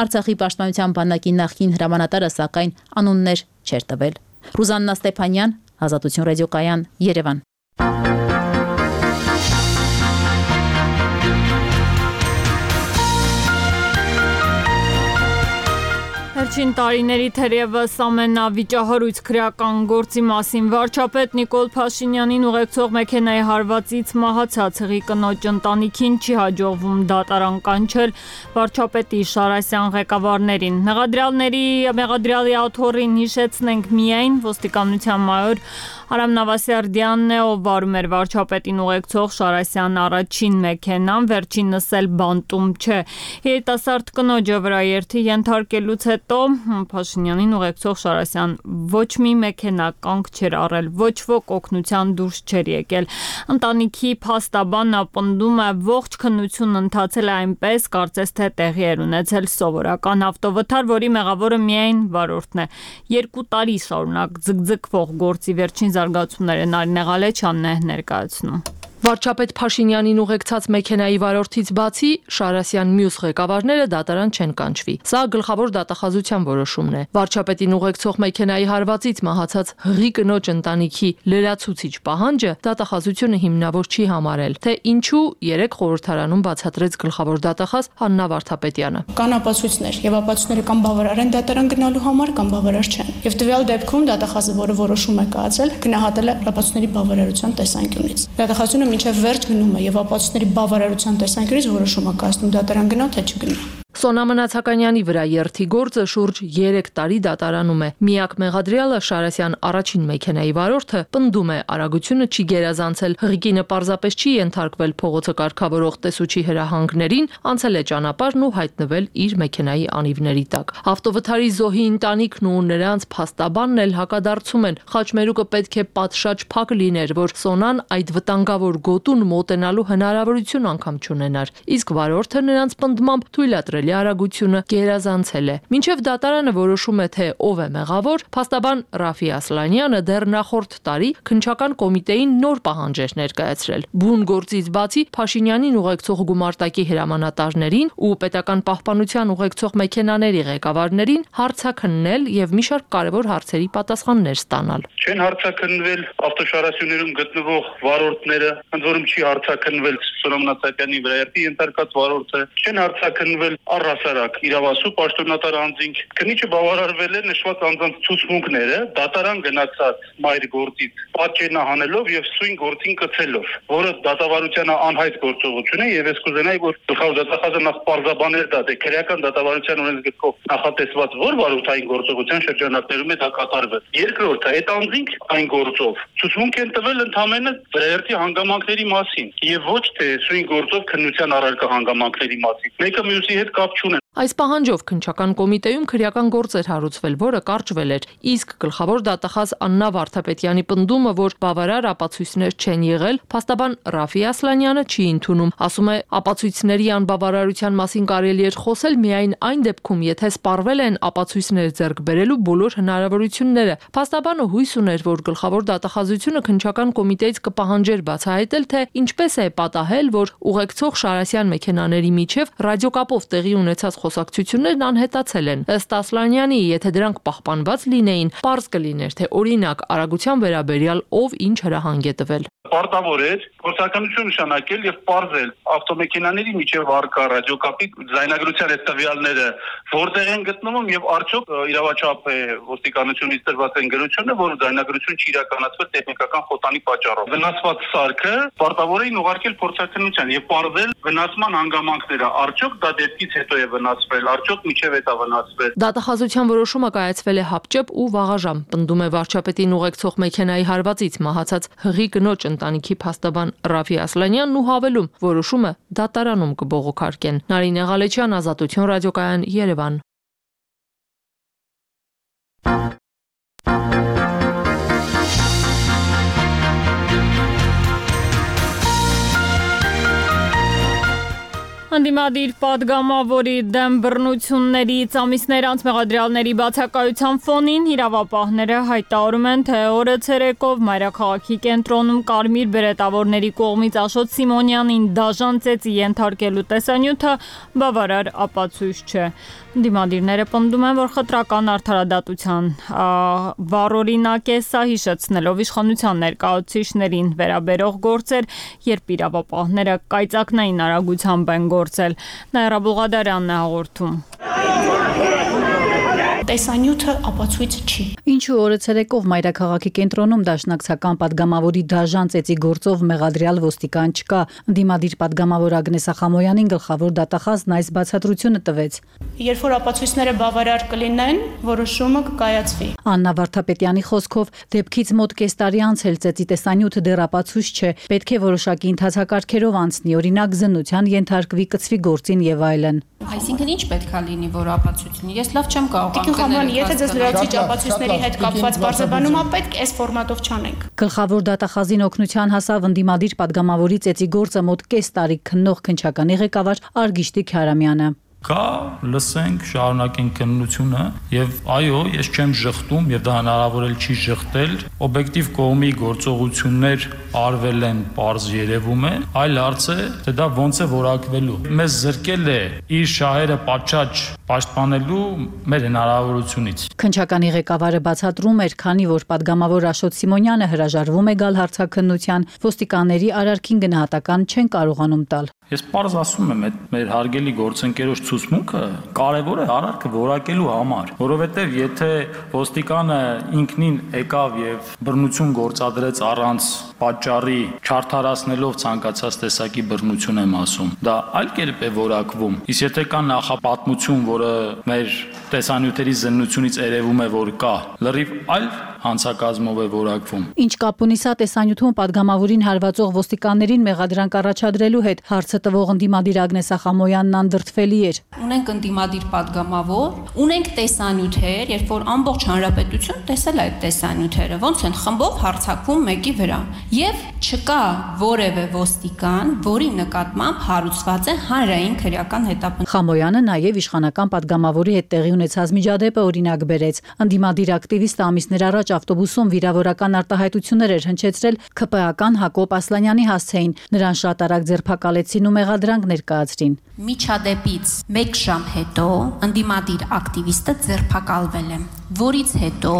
Արցախի պաշտպանության բանակի նախկին հրամանատարը սակայն անուններ չէր տվել։ Ռուզաննա Ստեփանյան, Ազատություն ռադիոկայան, Երևան։ Վերջին տարիների թերևս ամենավիճահարույց քրեական գործի մասին վարչապետ Նիկոլ Փաշինյանին ուղեկցող մեքենայի հարվածից մահացած հղի կնոջ ընտանիքին չի հաջողվում դատարան կանչել վարչապետի Շարասյան ղեկավարներին։ Մեղադրյալների մեղադրյալի աթոռին հիշեցնենք միայն ոստիկանության մայոր Արամ Նավասարդյանն է, ով վարում էր վարչապետին ուղեկցող Շարասյան առաջին մեքենան, վերջինս էլ բանտում չէ։ Երիտասարդ կնոջը վրաերթի ենթարկելուց հետո հետո Փաշինյանին ուղեկցող Շարասյան ոչ մի մեքենա կանգ չէր առել, ոչ ոք օգնության դուրս չէր եկել։ Ընտանիքի փաստաբանն ապնդում է ողջ քննությունն ընթացել է այնպես, կարծես թե տեղի էր ունեցել սովորական ավտովթար, որի մեղավորը միայն վարորդն է։ Երկու տարի շարունակ ձգձգվող գործի վերջին զարգացումները Նարինե Ղալեչյանն է ներկայացնում։ Վարչապետ Փաշինյանին ուղեկցած մեքենայի վարորդից բացի Շարասյան մյուս ղեկավարները դատարան չեն կանչվի։ Սա գլխավոր դատախազության որոշումն է։ Վարչապետին ուղեկցող մեքենայի հարվածից մահացած հղի կնոջ ընտանիքի լրացուցիչ պահանջը դատախազությունը հիմնավոր չի համարել, թե ինչու երեք խորհրդարանում բացատրեց գլխավոր դատախազ Հաննա Վարդապետյանը։ Կան ապացույցներ, եւ ապացույցները կամ բավարար են դատարան գնալու համար, կամ բավարար չեն։ Եվ տվյալ դեպքում դատախազը, որը որոշում է կայացել, գնահատել է ապացույցների բավարարության տեսանկյունից։ Դատախազությունը մինչև վերջ գնում է եւ ապացույցների բավարարության տեսանկյունից որոշում է կայացնում դատարան գնա թե չգնա։ Սոնա Մնացականյանի վրա երթի գործը շուրջ երեք տարի դատարանում է։ Միակ մեղադրյալը Շարասյան առաջին մեքենայի վարորդը պնդում է արագությունը չի գերազանցել, հղիկինը պարզապես չի ենթարկվել փողոցը կարգավորող տեսուչի հրահանգներին, անցել է ճանապարհն ու հայտնվել իր մեքենայի անիվների տակ։ Ավտովթարի զոհի ընտանիքն ու նրանց փաստաբանն էլ հակադարձում են, խաչմերուկը պետք է պատշաճ փակ լիներ, որ Սոնան այդ վտանգավոր գոտուն մոտենալու հնարավորություն անգամ չունենար, իսկ վարորդը նրանց պնդմամբ թույլատրել արագությունը գերազանցել է։ Մինչև դատարանը որոշում է, թե ով է մեղավոր, փաստաբան Ռաֆի Ասլանյանը դեռ նախորդ տարի քննչական կոմիտեին նոր պահանջ էր ներկայացրել։ Բուն գործից բացի Փաշինյանին ուղեկցող գումարտակի հրամանատարներին ու պետական պահպանության ուղեկցող մեքենաների ղեկավարներին հարցաքննել եւ մի շարք կարևոր հարցերի պատասխաններ ստանալ։ Չեն հարցաքննվել ավտոշարասյուներում գտնվող վարորդները, ընդ որում չի հարցաքննվել Սոնա Մնացակյանի վրա երթի ենթարկած վարորդը, չեն հարցաքննվել առհասարակ իրավասու պաշտոնատար անձինք, քննիչը բավարարվել է նշված անձանց ցուցմունքները դատարան գնացած մայր գործից պատճենահանելով եւ սույն գործին կցելով, որը դատավարությանը անհայտ գործողություն է եւ ես կուզենայի, որ գլխավոր դատախազը նախ պարզաբաներ տա, թե քրեական դատավարության օրենսգրքով նախատեսված որ վարորդային գործողության շրջանակներում է դա կատարվել։ Երկրորդը, այդ անձինք այն գործով ցուցմունք են տվել ընդհանրապես վրայերթի հանգամանքների մասին եւ ոչ թե սույն գործով քննության առարկա հանգամանքների մասին։ Մեկը մյուսի հետ կապ չունեն։ Այս պահանջով քննչական կոմիտեում քրեական գործ էր հարուցվել, որը կարճվել էր, իսկ գլխավոր դատախազ Աննա Վարդապետյանի պնդումը, որ բավարար ապացույցներ չեն եղել, փաստաբան Ռաֆի Ասլանյանը չի ընդունում, ասում է, ապացույցների անբավարարության մասին կարելի էր խոսել միայն այն դեպքում, եթե սպառվել են ապացույցներ ձեռք բերելու բոլոր հնարավորությունները։ Փաստաբանը հույս ուներ, որ գլխավոր դատախազությունը քննչական կոմիտեից կպահանջեր բացահայտել, թե ինչպես է պատահել, որ ուղեկցող Շարասյան մեքենաների միջև ռադիոկապով տեղի ունեցած խոսակցություններն անհետացել են։ Ըստ Ասլանյանի, եթե դրանք պահպանված լինեին, պարզ կլիներ, թե օրինակ արագության վերաբերյալ ով ինչ հրահանգ է տվել։ Պարտավոր էր գործականություն նշանակել եւ պարզել ավտոմեքենաների միջև առկա ռադիոկապի ձայնագրության այդ տվյալները որտեղ են գտնվում եւ արդյոք իրավաչափ է ոստիկանությունից տրված են գրությունը, որ ձայնագրություն չի իրականացվել տեխնիկական խոտանի պատճառով։ Վնասված սարքը պարտավոր էին ուղարկել փորձաքննության եւ պարզել վնասման հանգամանքները։ Արդյոք դա դեպքից հետո է վնասվել, արդյոք միջև է դա վնասվել։ Դատախազության որոշումը կայացվել է հապճեպ ու վաղաժամ, պնդում է վարչապետին ուղեկցող մեքենայի հարվածից մահացած հղի կնոջ ընտանիքի փաստաբան Ռաֆի Ասլանյանն ու հավելում, որոշումը դատարանում կբողոքարկեն։ Նարինե Ղալեչյան, Ազատություն ռադիոկայան, Երևան։ Անդիմադիր պատգամավորի դեմ բռնություններից ամիսներ անց մեղադրյալների բացակայության ֆոնին իրավապահները հայտարարում են, թե օրը ցերեկով մայրաքաղաքի կենտրոնում կարմիր բերետավորների կողմից Աշոտ Սիմոնյանին դաժան ծեծի ենթարկելու տեսանյութը բավարար ապացույց չէ։ Անդիմադիրները պնդում են, որ խտրական արդարադատության վառօրինակ է սա, հիշեցնելով իշխանության ներկայացուցիչներին վերաբերող գործեր, երբ իրավապահները կայծակնային արագությամբ են գործել։ Նաիրա Բուղադարյանն է հաղորդում։ տեսանյութը ապացույց չի։ Ինչու օրը ցերեկով մայրաքաղաքի կենտրոնում դաշնակցական падգամավորի դաժան ծեծի գործով մեղադրյալ ոստիկան չկա։ Ընդդիմադիր падգամավոր Ագնես Ախամոյանին գլխավոր դատախազն այս բացատրությունը տվեց։ Երբ որ ապացույցները բավարար կլինեն, որոշումը կկայացվի։ Աննա Վարդապետյանի խոսքով դեպքից մոտ կես տարի անց էլ ծեծի տեսանյութը դեռ ապացույց չէ, պետք է որոշակի ընթացակարգերով անցնի, օրինակ զննության ենթարկվի, կցվի գործին եւ այլն։ Այսինքն ինչ պետքա լինի, որ ապացույցնի։ Ես լավ չեմ կարող անկնել։ Եթե ձեզ լրացուցիչ ապացույցների հետ կապված բարձրաբանում ա, պետք է այս ֆորմատով չանենք։ Գլխավոր դատախազին օգնության հասավ ընդդիմադիր падգամավորի ծեծի գործը մոտ կես տարի քննող քննչականի ղեկավար Արգիշտի Քարամյանը։ Կա, լսենք, շարունակենք քննությունը եւ այո, ես չեմ ժխտում եւ դա հնարավոր էլ չի ժխտել, օբյեկտիվ կողմի գործողություններ արվել են, պարզ երևում է, այլ հարց է, թե դա ոնց է որակվելու։ Մեզ զրկել է իր շահերը պատշաճ պաշտպանելու մեր հնարավորությունից։ Քննչականի ղեկավարը բացատրում էր, քանի որ падգամավոր Աշոտ Սիմոնյանը հրաժարվում է գալ հարցաքննության, ոստիկանների արարքին գնահատական չեն կարողանում տալ։ Ես պարզ ասում եմ, այդ մեր հարգելի գործընկերոջ ցուցմունքը կարևոր է արարքը որակելու համար, որովհետև եթե ոստիկանը ինքնին եկավ եւ բռնություն գործադրեց առանց պատճառի, չարթարացնելով ցանկացած տեսակի բռնություն եմ ասում, դա այլ կերպ է որակվում։ Իսկ եթե կա նախապատմություն, որը մեր տեսանյութերի զննությունից երևում է, որ կա, լրիվ այլ հանցակազմով է որակվում։ Ինչ կապ ունի սա տեսանյութում падգամավորին հարվածող ոստիկաններին մեղադրանք առաջադրելու հետ, հարցը տվող ընդդիմադիր Ագնես Ախամոյանն անդրդվելի էր։ Ունենք ընդդիմադիր падգամավոր, ունենք տեսանյութեր, երբ որ ամբողջ հանրապետություն տեսել է այդ տեսանյութերը, ոնց են խմբով հարձակվում մեկի վրա, եւ չկա որևէ ոստիկան, որի նկատմամբ հարուցված է հանրային քրեական հետապնդում։ Խամոյանը նաեւ իշխանական падգամավորի հետ տեղի ունեցած միջադեպը օրինակ բերեց։ Ընդդիմադիր ակտիվիստը ամիսներ առաջ ավտոբուսում վիրավորական արտահայտություններ էր հնչեցրել ՔՊ-ական Հակոբ Ասլանյանի հասցեին, նրան շատ արագ ձերբակալեցին ու մեղադրանք ներկայացրին։ Միջադեպից մեկ ժամ հետո ընդդիմադիր ակտիվիստը ձերբակալվել է, որից հետո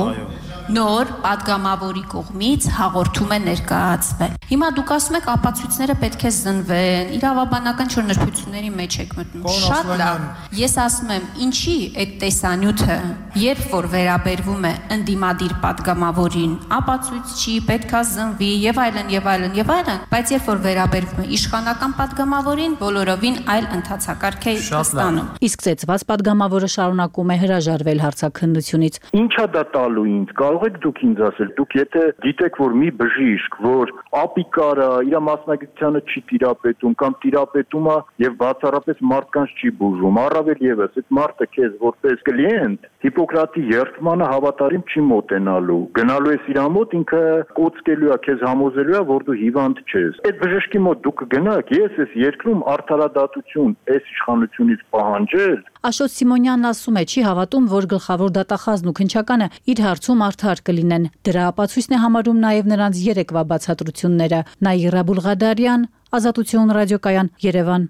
նոր падգամավորի կողմից հաղորդում է ներկայացվել։ Հիմա դուք ասում եք ապացույցները պետք է զնվեն, իրավաբանական չոր նրբությունների մեջ եք մտնում։ Շատ լավ։ Ես ասում եմ, ինչի այդ տեսանյութը, երբ որ վերաբերվում է ընդդիմադիր падգամավորին, ապացույց չի, պետքա զնվի եւ այլն եւ այլն եւ այլն, բայց երբ որ վերաբերվում է իշխանական падգամավորին, բոլորովին այլ ընթացակարգ է ստանում։ Իսկ ծեծված падգամավորը շարունակում է հրաժարվել հարցաքննությունից։ Ինչա դա տալու ինձ։ Կարող եք դուք ինձ ասել, դուք եթե գիտեք, որ մի բժիշկ, որ ապիկարը իր մասնագիտությանը չի տիրապետում կամ տիրապետում է եւ բացառապես մարդկանց չի բուժում, առավել եւս այդ մարդը քեզ որպես կլիենտ Հիպոկրատի երթմանը հավատարիմ չի մոտենալու։ Գնալու ես իր մոտ, ինքը կոծկելու է, քեզ համոզելու է, որ դու հիվանդ չես։ Այդ բժշկի մոտ դուք գնաք, ես ես երկրում արդարադատություն այս իշխանությունից պահանջել։ Աշոտ Սիմոնյանն ասում է, չի հավատում, որ գլխավոր դատախազն ու քննչականը իր հարցում արդար կլինեն։ Դրա ապացույցն է համարում նաև նրանց երեկվա բացատրությունները։ Նաիրա Բուլղադարյան, Ազատություն ռադիոկայան, Երևան։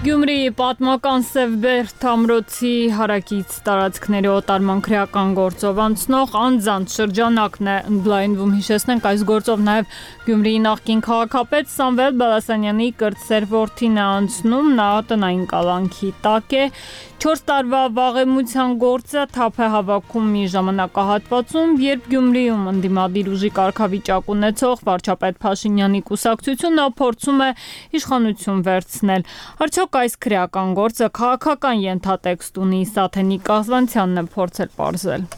Գյումրիի պատմական Սևբերդ ամրոցի հարակից տարածքների օտարման քրեական գործով անցնող անձանց շրջանակն է ընդլայնվում։ Հիշեցնենք, այս գործով նաև Գյումրիի նախկին քաղաքապետ Սամվել Բալասանյանի կրտսեր որդին է անցնում, նա տնային կալանքի տակ է։ չորս տարվա վաղեմության գործը թափ է հավաքում մի ժամանակահատվածում, երբ Գյումրիում ընդդիմադիր ուժի կարգավիճակ ունեցող վարչապետ Փաշինյանի կուսակցությունը փորձում է իշխանություն վերցնել։ Արդյոք այս քրեական գործը քաղաքական ենթատեքստ ունի, Սաթենիկ Կազվանցյանն է փորձել պարզել։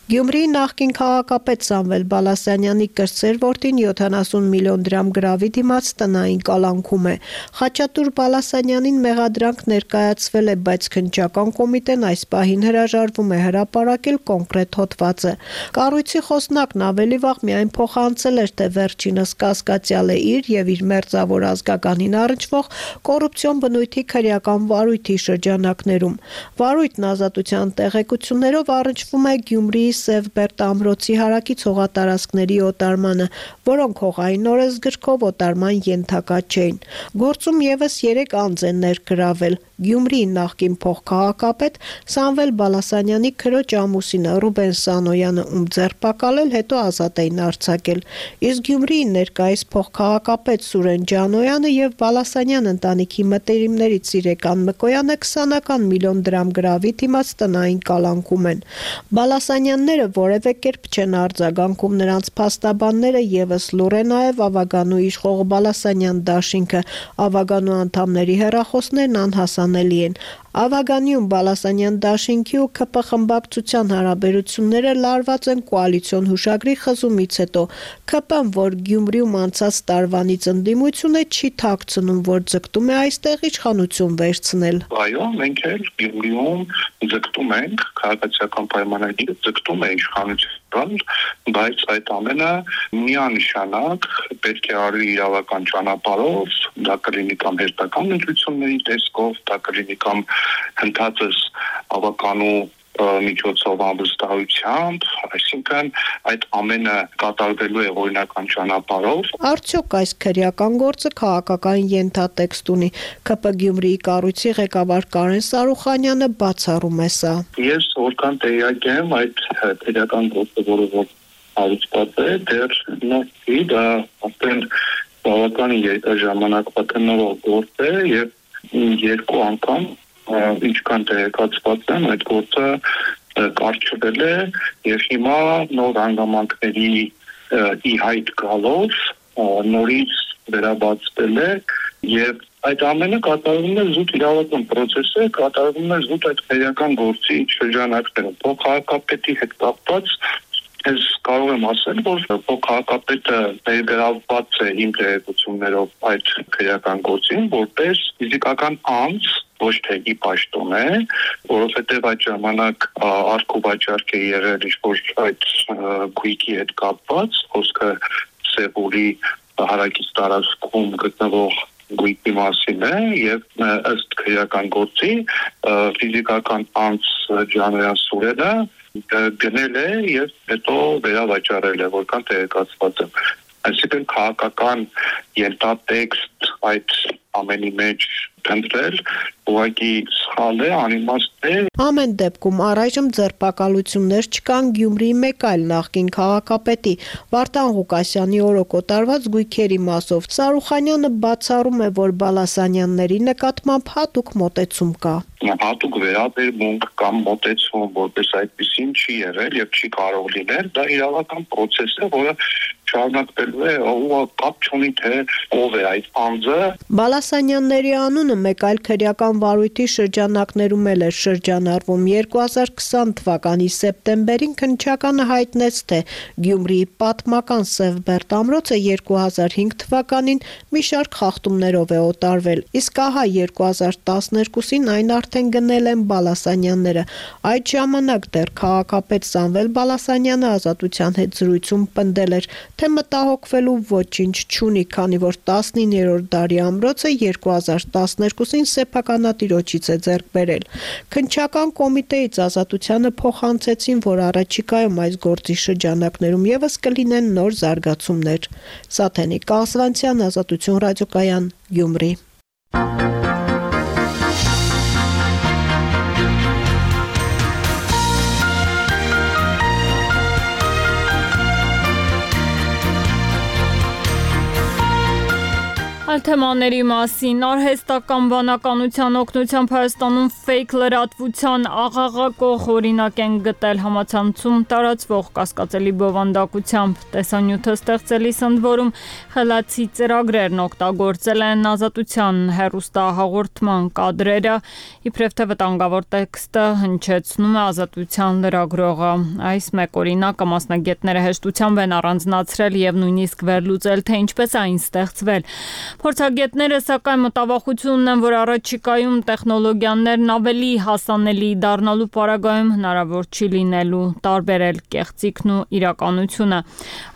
Գյումրիի նախկին քաղաքապետ Սամվել Բալասանյանի կրտսեր որդին յոթանասուն միլիոն դրամ գրավի դիմաց տնային կալանքում է։ Խաչատուր Բալասանյանին մեղադրանք ներկայացվել է, բայց քննչական կոմիտեն այս պահին հրաժարվում է հրապարակել կոնկրետ հոդվածը։ Կառույցի խոսնակն ավելի վաղ միայն փոխանցել էր, թե վերջինս կասկածյալ է իր եւ իր մերձավոր ազգականին առնչվող կոռուպցիոն բնույթի քրեական վարույթի շրջանակներում։ Վարույթն ազատության տեղեկություններով առնչվում է Գյումրիի Սևբերդ ամրոցի հարակից հողատարածքների օտարմանը, որոնք հողային օրենսգրքով օտարման ենթակա չէին։ Գործում եւս երեք անձ են ներգրավել։ Գյումրիի նախկին փոխքաղաքապետ Սամվել Բալասանյանի քրոջ ամուսինը Ռուբեն Սանոյանը, ում ձերբակալել, հետո ազատ էին արձակել։ Իսկ Գյումրիի ներկայիս փոխքաղաքապետ Սուրեն Ջանոյանը եւ Բալասանյան ընտանիքի մտերիմներից Սիրեկան Մկոյանը քսանական միլիոն դրամ գրավի դիմաց տնային կալանքում են։ Բալասանյանները որևէ կերպ չեն արձագանքում, նրանց փաստաբանները եւս լուր է նաեւ Ավագանու իշխող Բալասանյան դաշինքը, Ավագանու անդամների հեռախոսներն անհասանելի են։ Ավագանիում Բալասանյան դաշինքի ու ՔՊ խմբակցության հարաբերությունները լարված են կոալիցիոն հուշագրի խզումից հետո։ ՔՊ-ն, որ Գյումրիում անցած տարվանից ընդդիմություն է, չի թաքցնում, որ ձգտում է այստեղ իշխանություն վերցնել։ Այո, մենք էլ Գյումրիում ձգտում ենք, քաղաքացիական պայմանագիրը ձգտում է իշխանություն, բայց այդ ամենը միանշանակ պետք է արվի իրավական ճանապարհով, դա կլինի կամ հերթական ընտրությունների տեսքով, դա կլինի կամ հնդածս ավականու միջոցով ամբստահությամբ, այսինքն այդ ամենը կատարվելու է օրինական ճանապարհով։ Արդյոք այս քրեական գործը քաղաքական ենթատեքստ ունի։ ՔՊ Գյումրիի կառույցի ղեկավար Կարեն Սարուխանյանը բացառում է սա։ Ես որքան տեղյակ եմ, այդ քրեական գործը, որը որ հարուցված է, դեռ նորքի դա արդեն բավական երկար ժամանակ պատնող գործ է եւ երկու անգամ ինչքան տեղեկացված եմ, այդ գործը կարճվել է եւ հիմա նոր հանգամանքների ի հայտ գալով նորից վերաբացվել է եւ այդ ամենը կատարվում է զուտ իրավական process-ը, կատարվում է զուտ այդ քրեական գործի շրջանակներում։ Փոխհարկապետի հետ կապված ես կարող եմ ասել, որ փոխհարկապետը ներգրավված է իմ տեղեկություններով այդ քրեական գործին, որպես ֆիզիկական անձ, ոչ թե ի պաշտոն է, որովհետև այդ ժամանակ արկուվաճառք է եղել ինչ-որ այդ գույքի հետ կապված, խոսքը Սեուլի հարակից տարածքում գտնվող գույքի մասին է եւ ըստ քրեական գործի ֆիզիկական անձ Ջանոյան Սուրենը գնել է եւ հետո վերավաճառել է, որքան տեղեկացված եմ։ Այսինքն քաղաքական ենթատեքստ այդ ամենի մեջ դրել ուղղակի սխալ է, անիմաստ է։ Ամեն դեպքում առայժմ ձերբակալություններ չկան Գյումրիի մեկ այլ նախկին քաղաքապետի Վարդան Ղուկասյանի օրոք օտարված գույքերի մասով։ Սարուխանյանը բացառում է, որ Բալասանյանների նկատմամբ հատուկ մոտեցում կա։ Հատուկ վերաբերմունք կամ մոտեցում, որպես այդպեսին չի եղել եւ չի կարող լինել, դա իրավական process է, որը շարունակվելու է, ու կապ չունի թե ով է այդ անձը։ Բալասանյանների անունը մեկ այլ քրեական վարույթի շրջանակներում էլ էր շրջանառվում։ երկու հազար քսան թվականի սեպտեմբերին քննչականը հայտնեց, թե Գյումրիի պատմական Սևբերտ ամրոցը երկու հազար հինգ թվականին մի շարք խախտումներով է օտարվել, իսկ ահա երկու հազար տասներկուսին այն արդեն գնել են Բալասանյանները։ Այդ ժամանակ դեռ քաղաքապետ Սամվել Բալասանյանը Ազատության հետ զրույցում պնդել էր, թե մտահոգվելու ոչինչ չունի, քանի որ տասնիններորդ դարի ամրոցը երկու հազար տասներկուսին սեփականատիրոջից է ձեռք բերել։ Քննչական կոմիտեից Ազատությանը փոխանցեցին, որ առաջիկայում այս գործի շրջանակներում եւս կլինեն նոր զարգացումներ։ Սաթենիկ Կասվանցյան, Ազատություն ռադիոկայան, Գյումրի։ Այլ թեմաների մասին արհեստական բանականության օգնությամբ Հայաստանում ֆեյք լրատվության աղաղակող օրինակ են գտել համացանցում տարածվող կասկածելի բովանդակությամբ։ Տեսանյութը ստեղծելիս ընդ որում խելացի ծրագրերն օգտագործել են Ազատության հեռուստահաղորդման կադրերը, իբրև թե վտանգավոր տեքստը հնչեցնում է Ազատության լրագրողը։ Այս մեկ օրինակը մասնագետները հեշտությամբ են առանձնացրել եւ նույնիսկ վերլուծել, թե ինչպես այն ստեղծվել։ Փորձագետները սակայն մտավախություն ունեն, որ առաջիկայում տեխնոլոգիաներն ավելի հասանելի դառնալու պարագայում հնարավոր չի լինելու տարբերել կեղծիքն ու իրականությունը։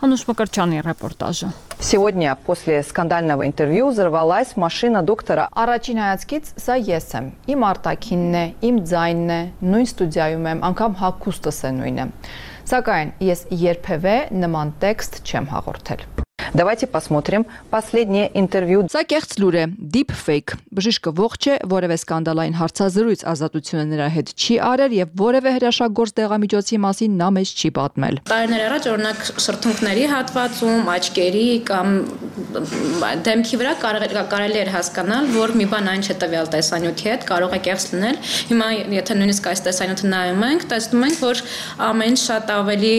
Անուշ Մկրտչյանի ռեպորտաժը։ Сегодня после скандального интервью взорвалась машина доктора. Առաջին հայացքից սա ես եմ։ Իմ արտաքինն է, իմ ձայնն է, նույն ստուդիայում եմ, անգամ հագուստս է նույնը։ Սակայն ես երբևէ նման տեքստ չեմ հաղորդել։ Давайте посмотрим последнее интервью. Սա կեղծ լուր է, deep fake։ Բժիշկը ողջ է, որևէ սկանդալային հարցազրույց ազատությունը նրա հետ չի արել եւ որևէ հրաշագործ դեղամիջոցի մասին նա մեզ չի պատմել։ Տարիներ առաջ օրինակ շրթունքների հատվածում, աչքերի կամ դեմքի վրա կարելի էր հասկանալ, որ մի բան այն չէ տվյալ տեսանյութի հետ, կարող է կեղծ լինել։ Հիմա եթե նույնիսկ այս տեսանյութը նայում ենք, տեսնում ենք, որ ամեն շատ ավելի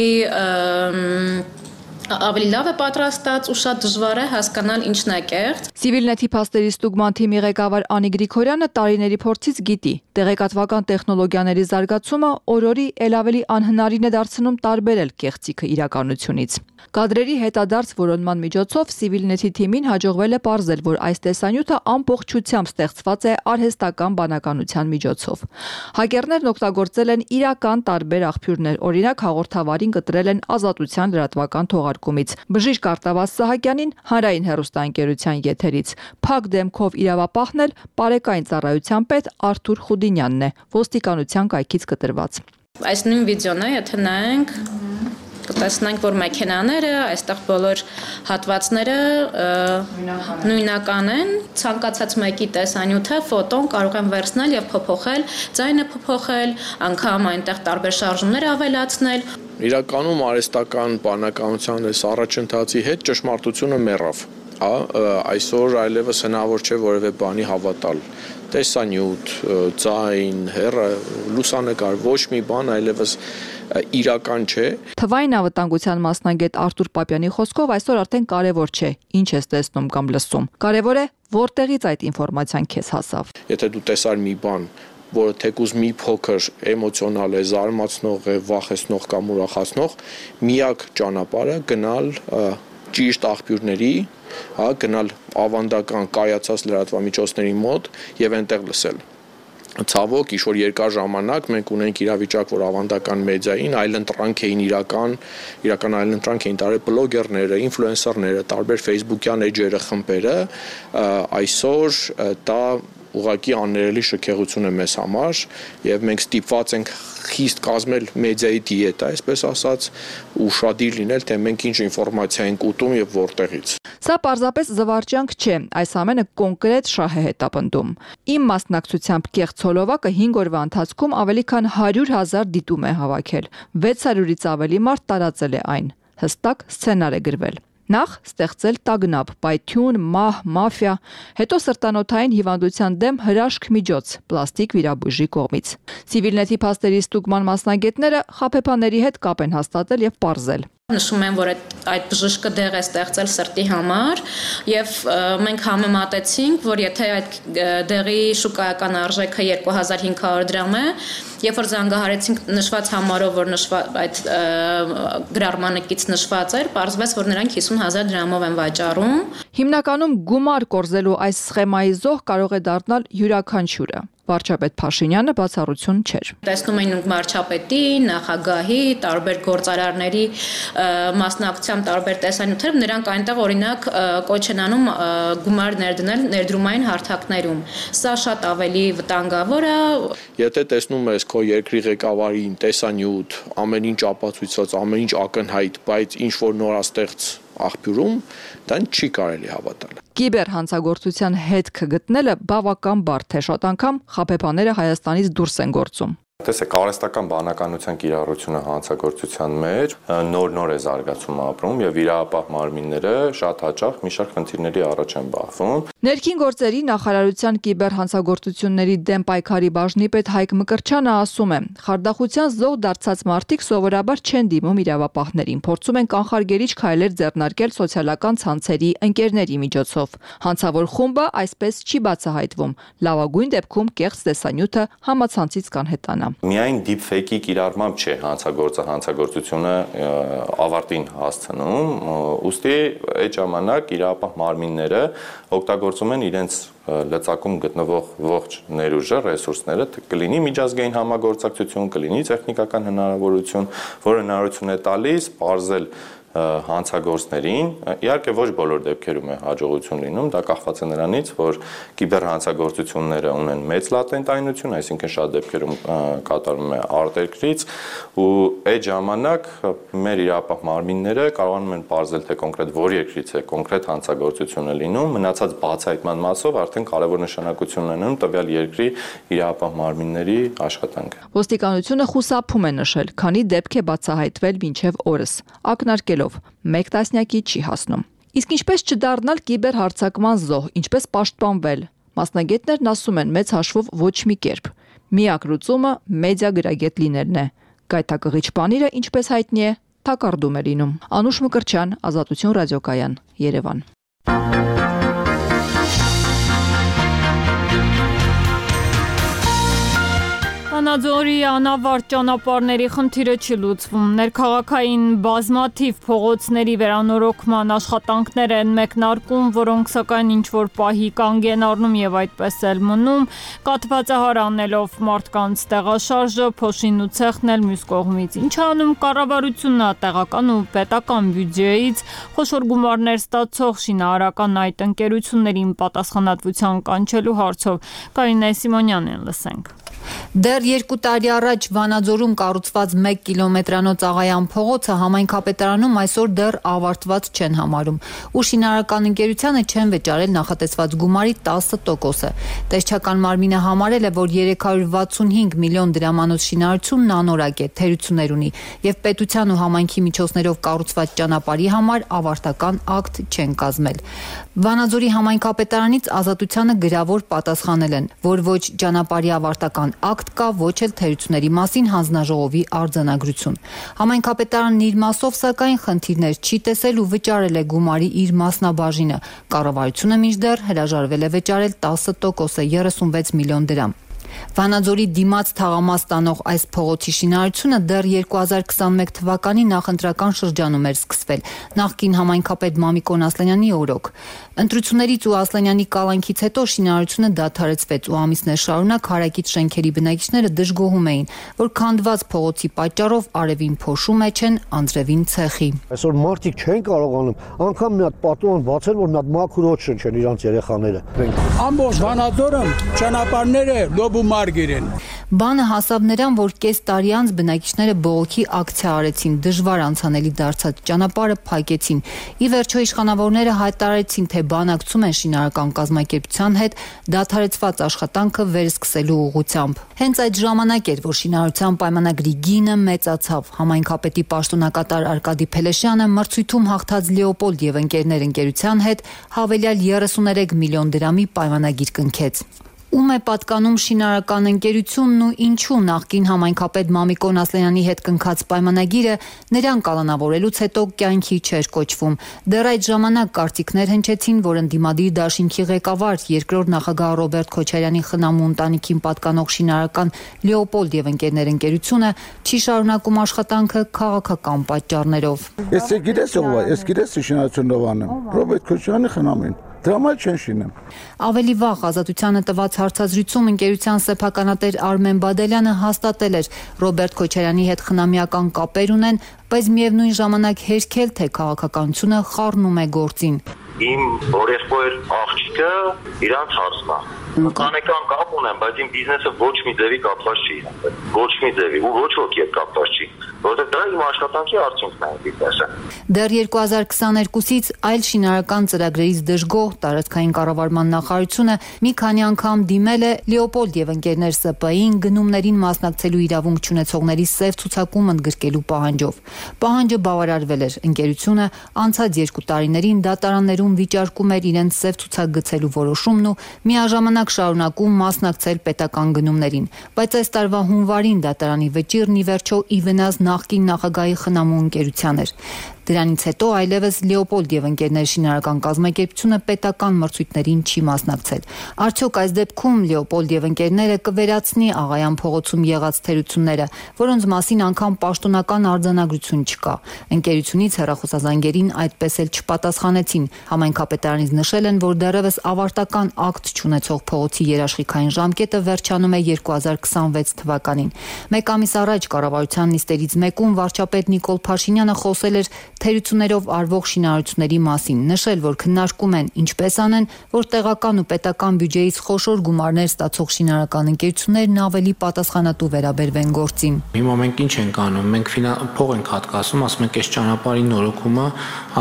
ավելի լավ է պատրաստած ու շատ դժվար է հասկանալ ինչն է կեղծ։ Civilnet-ի փաստերի ստուգման թիմի ղեկավար Անի Գրիգորյանը տարիների փորձից գիտի, տեղեկատվական տեխնոլոգիաների զարգացումը օր-օրի ել ավելի անհնարին է դարձնում տարբերել կեղծիքը իրականությունից։ Կադրերի հետադարձ որոնման միջոցով Civilnet-ի թիմին հաջողվել է պարզել, որ այս տեսանյութը ամբողջությամբ ստեղծված է արհեստական բանականության միջոցով։ Հակերներն օգտագործել են իրական տարբեր աղբյուրներ, օրինակ հաղորդավարին կտրել են Ազատության լրատվական թողարկումից։ Բժիշկ Արտավազ Սահակյանին հանրային հեռուստաընկերության եթերից։ Փակ դեմքով իրավապահն էլ Պարեկային ծառայության պետ Արթուր Խուդինյանն է, ոստիկանության կայքից կտրված։ Այս նույն վիդեոն է, եթե նայենք կտեսնենք, որ մեքենաները, այստեղ բոլոր հատվածները նույնական են, ցանկացած մեկի տեսանյութը, ֆոտոն կարող են վերցնել եւ փոփոխել, ձայնը փոփոխել, անգամ այնտեղ տարբեր շարժումներ ավելացնել։ Իրականում արհեստական բանականության այս առաջընթացի հետ ճշմարտությունը մեռավ։ Այսօր այլևս հնարավոր չէ որևէ բանի հավատալ։ Տեսանյութ, ձայն, հեռ, լուսանկար, ոչ մի բան այլևս իրական չէ։ Թվային անվտանգության մասնագետ Արտուր Պապյանի խոսքով այսօր արդեն կարևոր չէ, ինչ ես տեսնում կամ լսում։ Կարևոր է, որտեղից այդ ինֆորմացիան քեզ հասավ։ Եթե դու տեսար մի բան, որը թեկուզ մի փոքր էմոցիոնալ է, զարմացնող է, վախեցնող կամ ուրախացնող, միակ ճանապարհը գնալ ճիշտ աղբյուրների, հա, գնալ ավանդական կայացած լրատվամիջոցների մոտ եւ այնտեղ լսել։ Ցավոք, ինչ-որ երկար ժամանակ մենք ունենք իրավիճակ, որ ավանդական մեդիային այլընտրանք էին իրական, իրական այլընտրանք էին տարել բլոգերները, ինֆլուենսերները, տարբեր Facebook-յան էջերը, խմբերը, այսօր դա ուղղակի աններելի շքեղություն է մեզ համար եւ մենք ստիպված ենք խիստ կազմել մեդիայի դիետա, այսպես ասած, ուշադիր լինել, թե մենք ինչ ինֆորմացիա ենք ուտում եւ որտեղից։ Սա պարզապես զվարճանք չէ, այս ամենը կոնկրետ շահ է հետապնդում։ Իմ մասնակցությամբ կեղծ հոլովակը հինգ օրվա ընթացքում ավելի քան հարյուր հազար դիտում է հավաքել, վեց հարյուրից ավելի մարդ տարածել է այն։ Հստակ սցենար է գրվել։ Նախ ստեղծել տագնապ, պայթյուն, մահ, մաֆիա, հետո սրտանոթային հիվանդության դեմ հրաշք միջոց, պլաստիկ վիրաբույժի կողմից։ Civilnet-ի փաստերի ստուգման մասնագետները խաբեբաների հետ կապ են հաստատել եւ պարզել։ Նշում են, որ այդ բժիշկը դեղ է ստեղծել սրտի համար եւ մենք համեմատեցինք, որ եթե այդ դեղի շուկայական արժեքը երկու հազար հինգ հարյուր դրամ է, երբ որ զանգահարեցինք նշված համարով, որ նշված այդ գրառմանակից նշված էր, պարզվեց, որ նրանք հիսուն հազար դրամով են վաճառում։ Հիմնականում գումար կորզելու այս սխեմայի զոհ կարող է դառնալ յուրաքանչյուրը։ Վարչապետ Փաշինյանը բացառություն չէր։ Տեսնում էին վարչապետի, նախագահի, տարբեր գործարարների մասնակցությամբ տարբեր տեսանյութեր, նրանք այնտեղ օրինակ կոչ են անում գումար ներդնել ներդրումային հարթակներում։ Սա շատ ավելի վտանգավոր է։ Եթե տեսնում ես քո երկրի ղեկավարին տեսանյութ, ամեն ինչ ապացույցած, ամեն ինչ ակնհայտ, բայց ինչ որ նորաստեղծ աղբյուրում, դան չի կարելի հավատալ։ Կիբեր հանցագործության հետքը գտնելը բավական բարդ է, շատ անգամ խաբեբաները Հայաստանից դուրս են գործում։ Տեսեք, արհեստական բանականության կիրառությունը հանցագործության մեջ նոր-նոր է զարգացում ապրում եւ իրավապահ մարմինները շատ հաճախ մի շարք խնդիրների առաջ են բախվում։ Ներքին գործերի նախարարության կիբեր հանցագործությունների դեմ պայքարի բաժնի պետ Հայկ Մկրտչյանը ասում է. խարդախության զոհ դարձած մարդիկ սովորաբար չեն դիմում իրավապահներին, փորձում են կանխարգելիչ քայլեր ձեռնարկել սոցիալական ցանցերի ընկերների միջոցով։ Հանցավոր խումբը այսպես չի բացահայտվում։ Լավագույն դեպքում կեղծ տեսանյութը համացանցից կանհետանա։ Միայն deepfake-ի կիրառմամբ չէ հանցագործը հանցագործությունը ավարտին հասցնում, ուստի այդ ժամանակ իրավապահ մարմինները օգտագործում են իրենց լծակում գտնվող ողջ ներուժը, ռեսուրսները, կլինի միջազգային համագործակցություն, կլինի տեխնիկական հնարավորություն, որը հնարավորություն է տալիս պարզել հանցագործներին, իհարկե ոչ բոլոր դեպքերում է հաջողություն լինում, դա կախված է նրանից, որ կիբերհանցագործությունները ունեն մեծ լատենտայնություն, այսինքն շատ դեպքերում կատարվում է արտերկրից, ու այդ ժամանակ մեր իրապահ մարմինները կարողանում են պարզել, թե կոնկրետ որ երկրից է կոնկրետ հանցագործությունը լինում, մնացած բացահայտման մասով արդեն կարևոր նշանակություն ունենում տվյալ երկրի իրապահ մարմինների աշխատանքը։ Ոստիկանությունը խուսափում է նշել, քանի դեպք է բացահայտվել մինչև օրս, ակնարկելով մեկ տասնյակի չի հասնում։ Իսկ ինչպես չդառնալ կիբերհարձակման զոհ, ինչպես պաշտպանվել։ Մասնագետներն ասում են մեծ հաշվով ոչ մի կերպ։ Միակ լուծումը մեդիա գրագետ լինելն է։ Գայթակղիչ բանիրը, ինչպես հայտնի է, թակարդում է լինում։ Անուշ Մկրտչյան, Ազատություն ռադիոկայան, Երևան։ Վանաձորի անավարտ ճանապարհների խնդիրը չի լուծվում։ Ներքաղաքային բազմաթիվ փողոցների վերանորոգման աշխատանքներ են մեկնարկում, որոնք սակայն ինչ-որ պահի կանգ են առնում եւ այդպես էլ մնում, կաթվածահար անելով մարդկանց տեղաշարժը, փոշին ու ցեխն էլ մյուս կողմից։ Ինչ անում կառավարությունը տեղական ու պետական բյուջեից խոշոր գումարներ ստացող շինարարական այդ ընկերություններին պատասխանատվության կանչելու հարցով Կարինե Սիմոնյանին լսենք։ Դեռ երկու տարի առաջ Վանաձորում կառուցված մեկ կիլոմետրանոց Աղայան փողոցը համայնքապետարանում այսօր դեռ ավարտված չեն համարում, ու շինարարական ընկերությանը չեն վճարել նախատեսված գումարի տասը տոկոսը։ Տեսչական մարմինը համարել է, որ երեք հարյուր վաթսունհինգ միլիոն դրամանոց շինարարությունն անորակ է, թերություններ ունի, եւ պետության ու համայնքի միջոցներով կառուցված ճանապարհի համար ավարտական ակտ չեն կազմել։ Վանաձորի համայնքապետարանից Ազատությանը գրավոր պատասխանել են, որ ոչ ճանապարհի ավարտական ակտ կա, ոչ էլ թերությունների մասին հանձնաժողովի արձանագրություն։ Համայնքապետարանն իր մասով սակայն խնդիրներ չի տեսել ու վճարել է գումարի իր մասնաբաժինը։ Կառավարությունը մինչդեռ հրաժարվել է վճարել տասը տոկոսը երեսունվեց միլիոն դրամ։ Վանաձորի դիմաց թաղամաս տանող այս փողոցի շինարարությունը դեռ երկու հազար քսաներեք թվականի նախընտրական շրջանում էր սկսվել, նախկին համայնքապետ Մամիկոն Ասլանյանի օրոք։ Ընտրություններից ու Ասլանյանի կալանքից հետո շինարարությունը դադարեցվեց ու ամիսներ շարունակ հարակից շենքերի բնակիչները դժգոհում էին, որ քանդված փողոցի պատճառով արևին փոշու մեջ են, անձրևին ցեխի։ Այսօր մարդիկ չեն կարողանում անգամ մի հատ պատուհան բացել, որ մի հատ մաքուր օդ շնչեն իրանց երեխաները։ Ամբողջ Վանաձորը ճանապարհները լոբ Մարգերեն։ Բանը հասավ նրան, որ կես տարի անց բնակիչները բողոքի ակցիա արեցին, դժվար անցանելի դարձած ճանապարհը փակեցին։ Ի վերջո իշխանավորները հայտարարեցին, թե բանակցում են շինարարական կազմակերպության հետ դադարեցված աշխատանքը վերսկսելու ուղղությամբ։ Հենց այդ ժամանակ էր, որ շինարարության պայմանագրի գինը մեծացավ։ Համայնքապետի պաշտոնակատար Արկադի Փելեշյանը մրցույթում հաղթած Լեոպոլդ եւ ընկերներ ընկերության հետ հավելյալ երեսուներեք միլիոն դրամի պայմանագիր կնքեց։ Ում է պատկանում շինարարական ընկերությունն ու ինչու նախկին համայնքապետ Մամիկոն Ասլանյանի հետ կնքած պայմանագիրը նրան կալանավորելուց հետո կյանքի չէր կոչվում։ Դեռ այդ ժամանակ կարծիքներ հնչեցին, որ ընդդիմադիր դաշինքի ղեկավար երկրորդ նախագահ Ռոբերտ Քոչարյանի խնամու ընտանիքին պատկանող շինարարական Լեոպոլդ եւ ընկերներ ընկերությունը չի շարունակում աշխատանքը քաղաքական պատճառներով։ Ես գիտես ով է, ես գիտես շինարարությունով անեմ։ Ռոբերտ Քոչարյանի խնամին Դրամալ չեն շինեմ։ Ավելի վաղ Ազատությանը տված հարցազրույցում ընկերության սեփականատեր Արմեն Բադելյանը հաստատել էր Ռոբերտ Քոչարյանի հետ խնամիական կապեր ունեն, բայց միևնույն ժամանակ հերքել, թե քաղաքականությունը խառնում է գործին։ Իմ օրեղբայր աղջիկը իրանց հարցն է։ Ընտանեկան կապ ունեմ, բայց իմ բիզնեսը ոչ մի ձևի կապված չի։ Ոչ մի ձևի ու ոչ ոքի հետ կապված չի, որովհետև դա իմ աշխատանքի արդյունքն է բիզնեսը։ Դեռ երկու հազար քսաներկուսից այլ շինարարական ծրագրերից դժգոհ տարածքային կառավարման նախարարությունը մի քանի անգամ դիմել է Լեոպոլդ եւ ընկերներ Ս Պ Ին գնումներին մասնակցելու իրավունք չունեցողների սև ցուցակում ընդգրկելու պահանջով։ Պահանջը բավարարվել էր։ Ընկերությունը անցած երկու տարիներին դատարաններում վիճարկում էր իրենց սև ցուցակ գցելու որոշումն ու միաժամանակ շարունակում մասնակցել պետական գնումներին, բայց այս տարվա հունվարին դատարանի վճիռն ի վերջո ի վնաս նախկին նախագահի խնամու ընկերության էր։ Դրանից հետո այլևս Լեոպոլդ եւ ընկերներ շինարարական կազմակերպությունը պետական մրցույթներին չի մասնակցել։ Արդյոք այս դեպքում Լեոպոլդ եւ ընկերները կվերացնի Աղայան փողոցում եղած թերությունները, որոնց մասին անգամ պաշտոնական արձանագրություն չկա։ Ընկերությունից հեռախոսազանգերին այդպես էլ չպատասխանեցին։ Համայնքապետարանից նշել են, որ դեռևս ավարտական ակտ չունեցող փողոցի երաշխիքային ժամկետը վերջանում է երկու հազար քսանվեց թվականին։ Մեկ ամիս առաջ կառավարության նիստերից մեկում վարչապետ Նիկոլ Փաշինյանը խոսել էր թերություններով արվող շինարարությունների մասին, նշել, որ քննարկում են ինչպես անեն, որ տեղական ու պետական բյուջեից խոշոր գումարներ ստացող շինարարական ընկերություններն ավելի պատասխանատու վերաբերվեն գործին։ Հիմա մենք ինչ ենք անում, մենք փող ենք հատկացնում, ասում ենք այս ճանապարհի նորոգումը,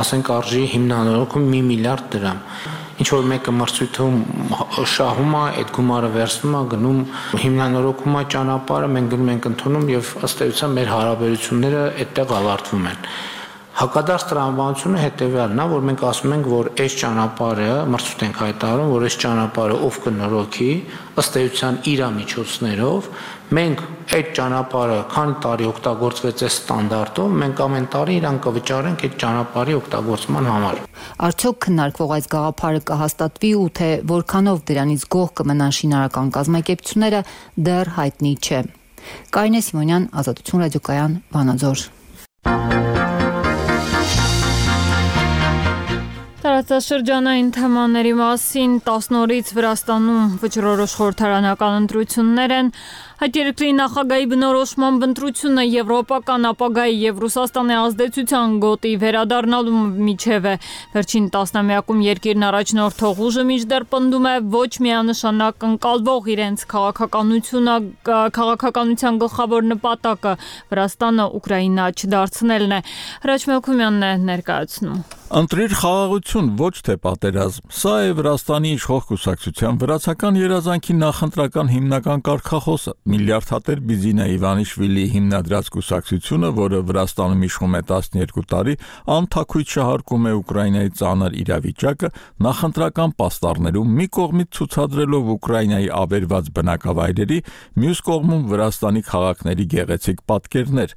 ասենք արժի հիմնանորոգում մի միլիարդ դրամ։ Ինչ որ մեկը մրցույթում շահում է, այդ գումարը վերցնում է, գնում հիմնանորոգում է ճանապարհը, մենք գնում ենք ընդունում եւ ըստ էության մեր հարաբերությունները այդտեղ ավարտվում են։ Հակադարձ տրամաբանությունը հետեւյալն է, որ մենք ասում ենք, որ այս ճանապարհը մրցույթ ենք հայտարարում, որ այս ճանապարհը ով կնորոգի, ըստ էության իր միջոցներով, մենք այդ ճանապարհը քանի տարի օգտագործվեց այս ստանդարտով, մենք ամեն տարի իրան կվճարենք այդ ճանապարհի օգտագործման համար։ Արդյոք քննարկվող այս գաղափարը կհաստատվի ու թե որքանով դրանից գոհ կմնան շինարարական կազմակերպությունները, դեռ հայտնի չէ։ Կարինե Սիմոնյան, Ազատություն ռադիոկայան, Վանաձոր։ Տարածաշրջանային թեմաների մասին տասն օրից Վրաստանում վճռորոշ խորհրդարանական ընտրություններ են։ Այդ երկրի նախագահի բնորոշմամբ ընտրությունը եվրոպական ապագայի եւ Ռուսաստանի ազդեցության գոտի վերադառնալու միջև է։ Վերջին տասնամյակում երկիրն առաջնորդող ուժը մինչդեռ պնդում է ոչ միանշանակ ընկալվող իրենց քաղաքականությունը, քաղաքականության գլխավոր նպատակը Վրաստանը Ուկրաինա չդարձնելն է։ Հրաչ Մելքումյանն է ներկայացնում։ Ընտրիր խաղաղություն, ոչ թե պատերազմ։ Սա է Վրաստանի իշխող կուսակցության վրացական երազանքի նախընտրական հիմնական կարգախոսը։ Միլիարդատեր Բիզինա Իվանիշվիլիի հիմնադրած կուսակցությունը, որը Վրաստանում իշխում է տասներկու տարի, անթաքույց շահարկում է Ուկրաինայի ծանր իրավիճակը, նախընտրական պաստառներում մի կողմից ցուցադրելով Ուկրաինայի ավերված բնակավայրերի, մյուս կողմում Վրաստանի քաղաքների գեղեցիկ պատկերներ։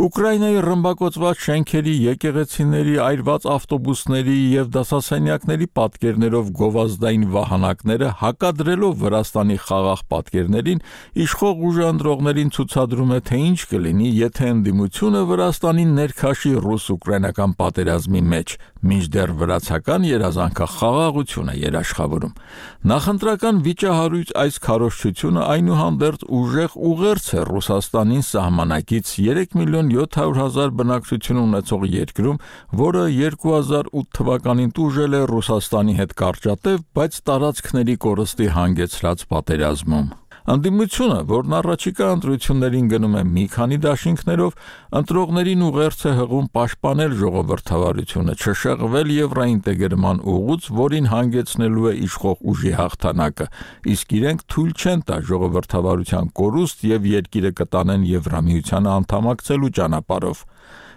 Ուկրաինայի ռմբակոծված շենքերի, եկեղեցիների, այրված ավտոբուսների եւ դասասենյակների պատկերներով գովազդային վահանակները հակադրելով Վրաստանի խաղաղ պատկերներին իշխող ուժը ընտրողներին ցուցադրում է, թե ինչ կլինի, եթե ընդդիմությունը Վրաստանին ներքաշի ռուս-ուկրաինական պատերազմի մեջ, մինչդեռ վրացական երազանքը խաղաղություն է երաշխավորում։ Նախընտրական վիճահարույց այս քարոզչությունը այնուհանդերձ ուժեղ ուղերձ է Ռուսաստանին սահմանակից երեք միլիոն յոթ հարյուր հազար բնակչություն ունեցող երկրում, որը երկու հազար ութ թվականին տուժել է Ռուսաստանի հետ կարճատև, բայց տարածքների կորստի հանգեցրած պատերազմում։ Ընդդիմությունը, որն առաջիկա ընտրություններին գնում է մի քանի դաշինքներով, ընտրողներին ուղերձ է հղում պաշտպանել ժողովրդավարությունը, չշեղվել եվրոինտեգրման ուղուց, որին հանգեցնելու է իշխող ուժի հաղթանակը, իսկ իրենք թույլ չեն տա ժողովրդավարության կորուստ եւ երկիրը կտանեն Եվրամիությանը անդամակցելու ճանապարհով։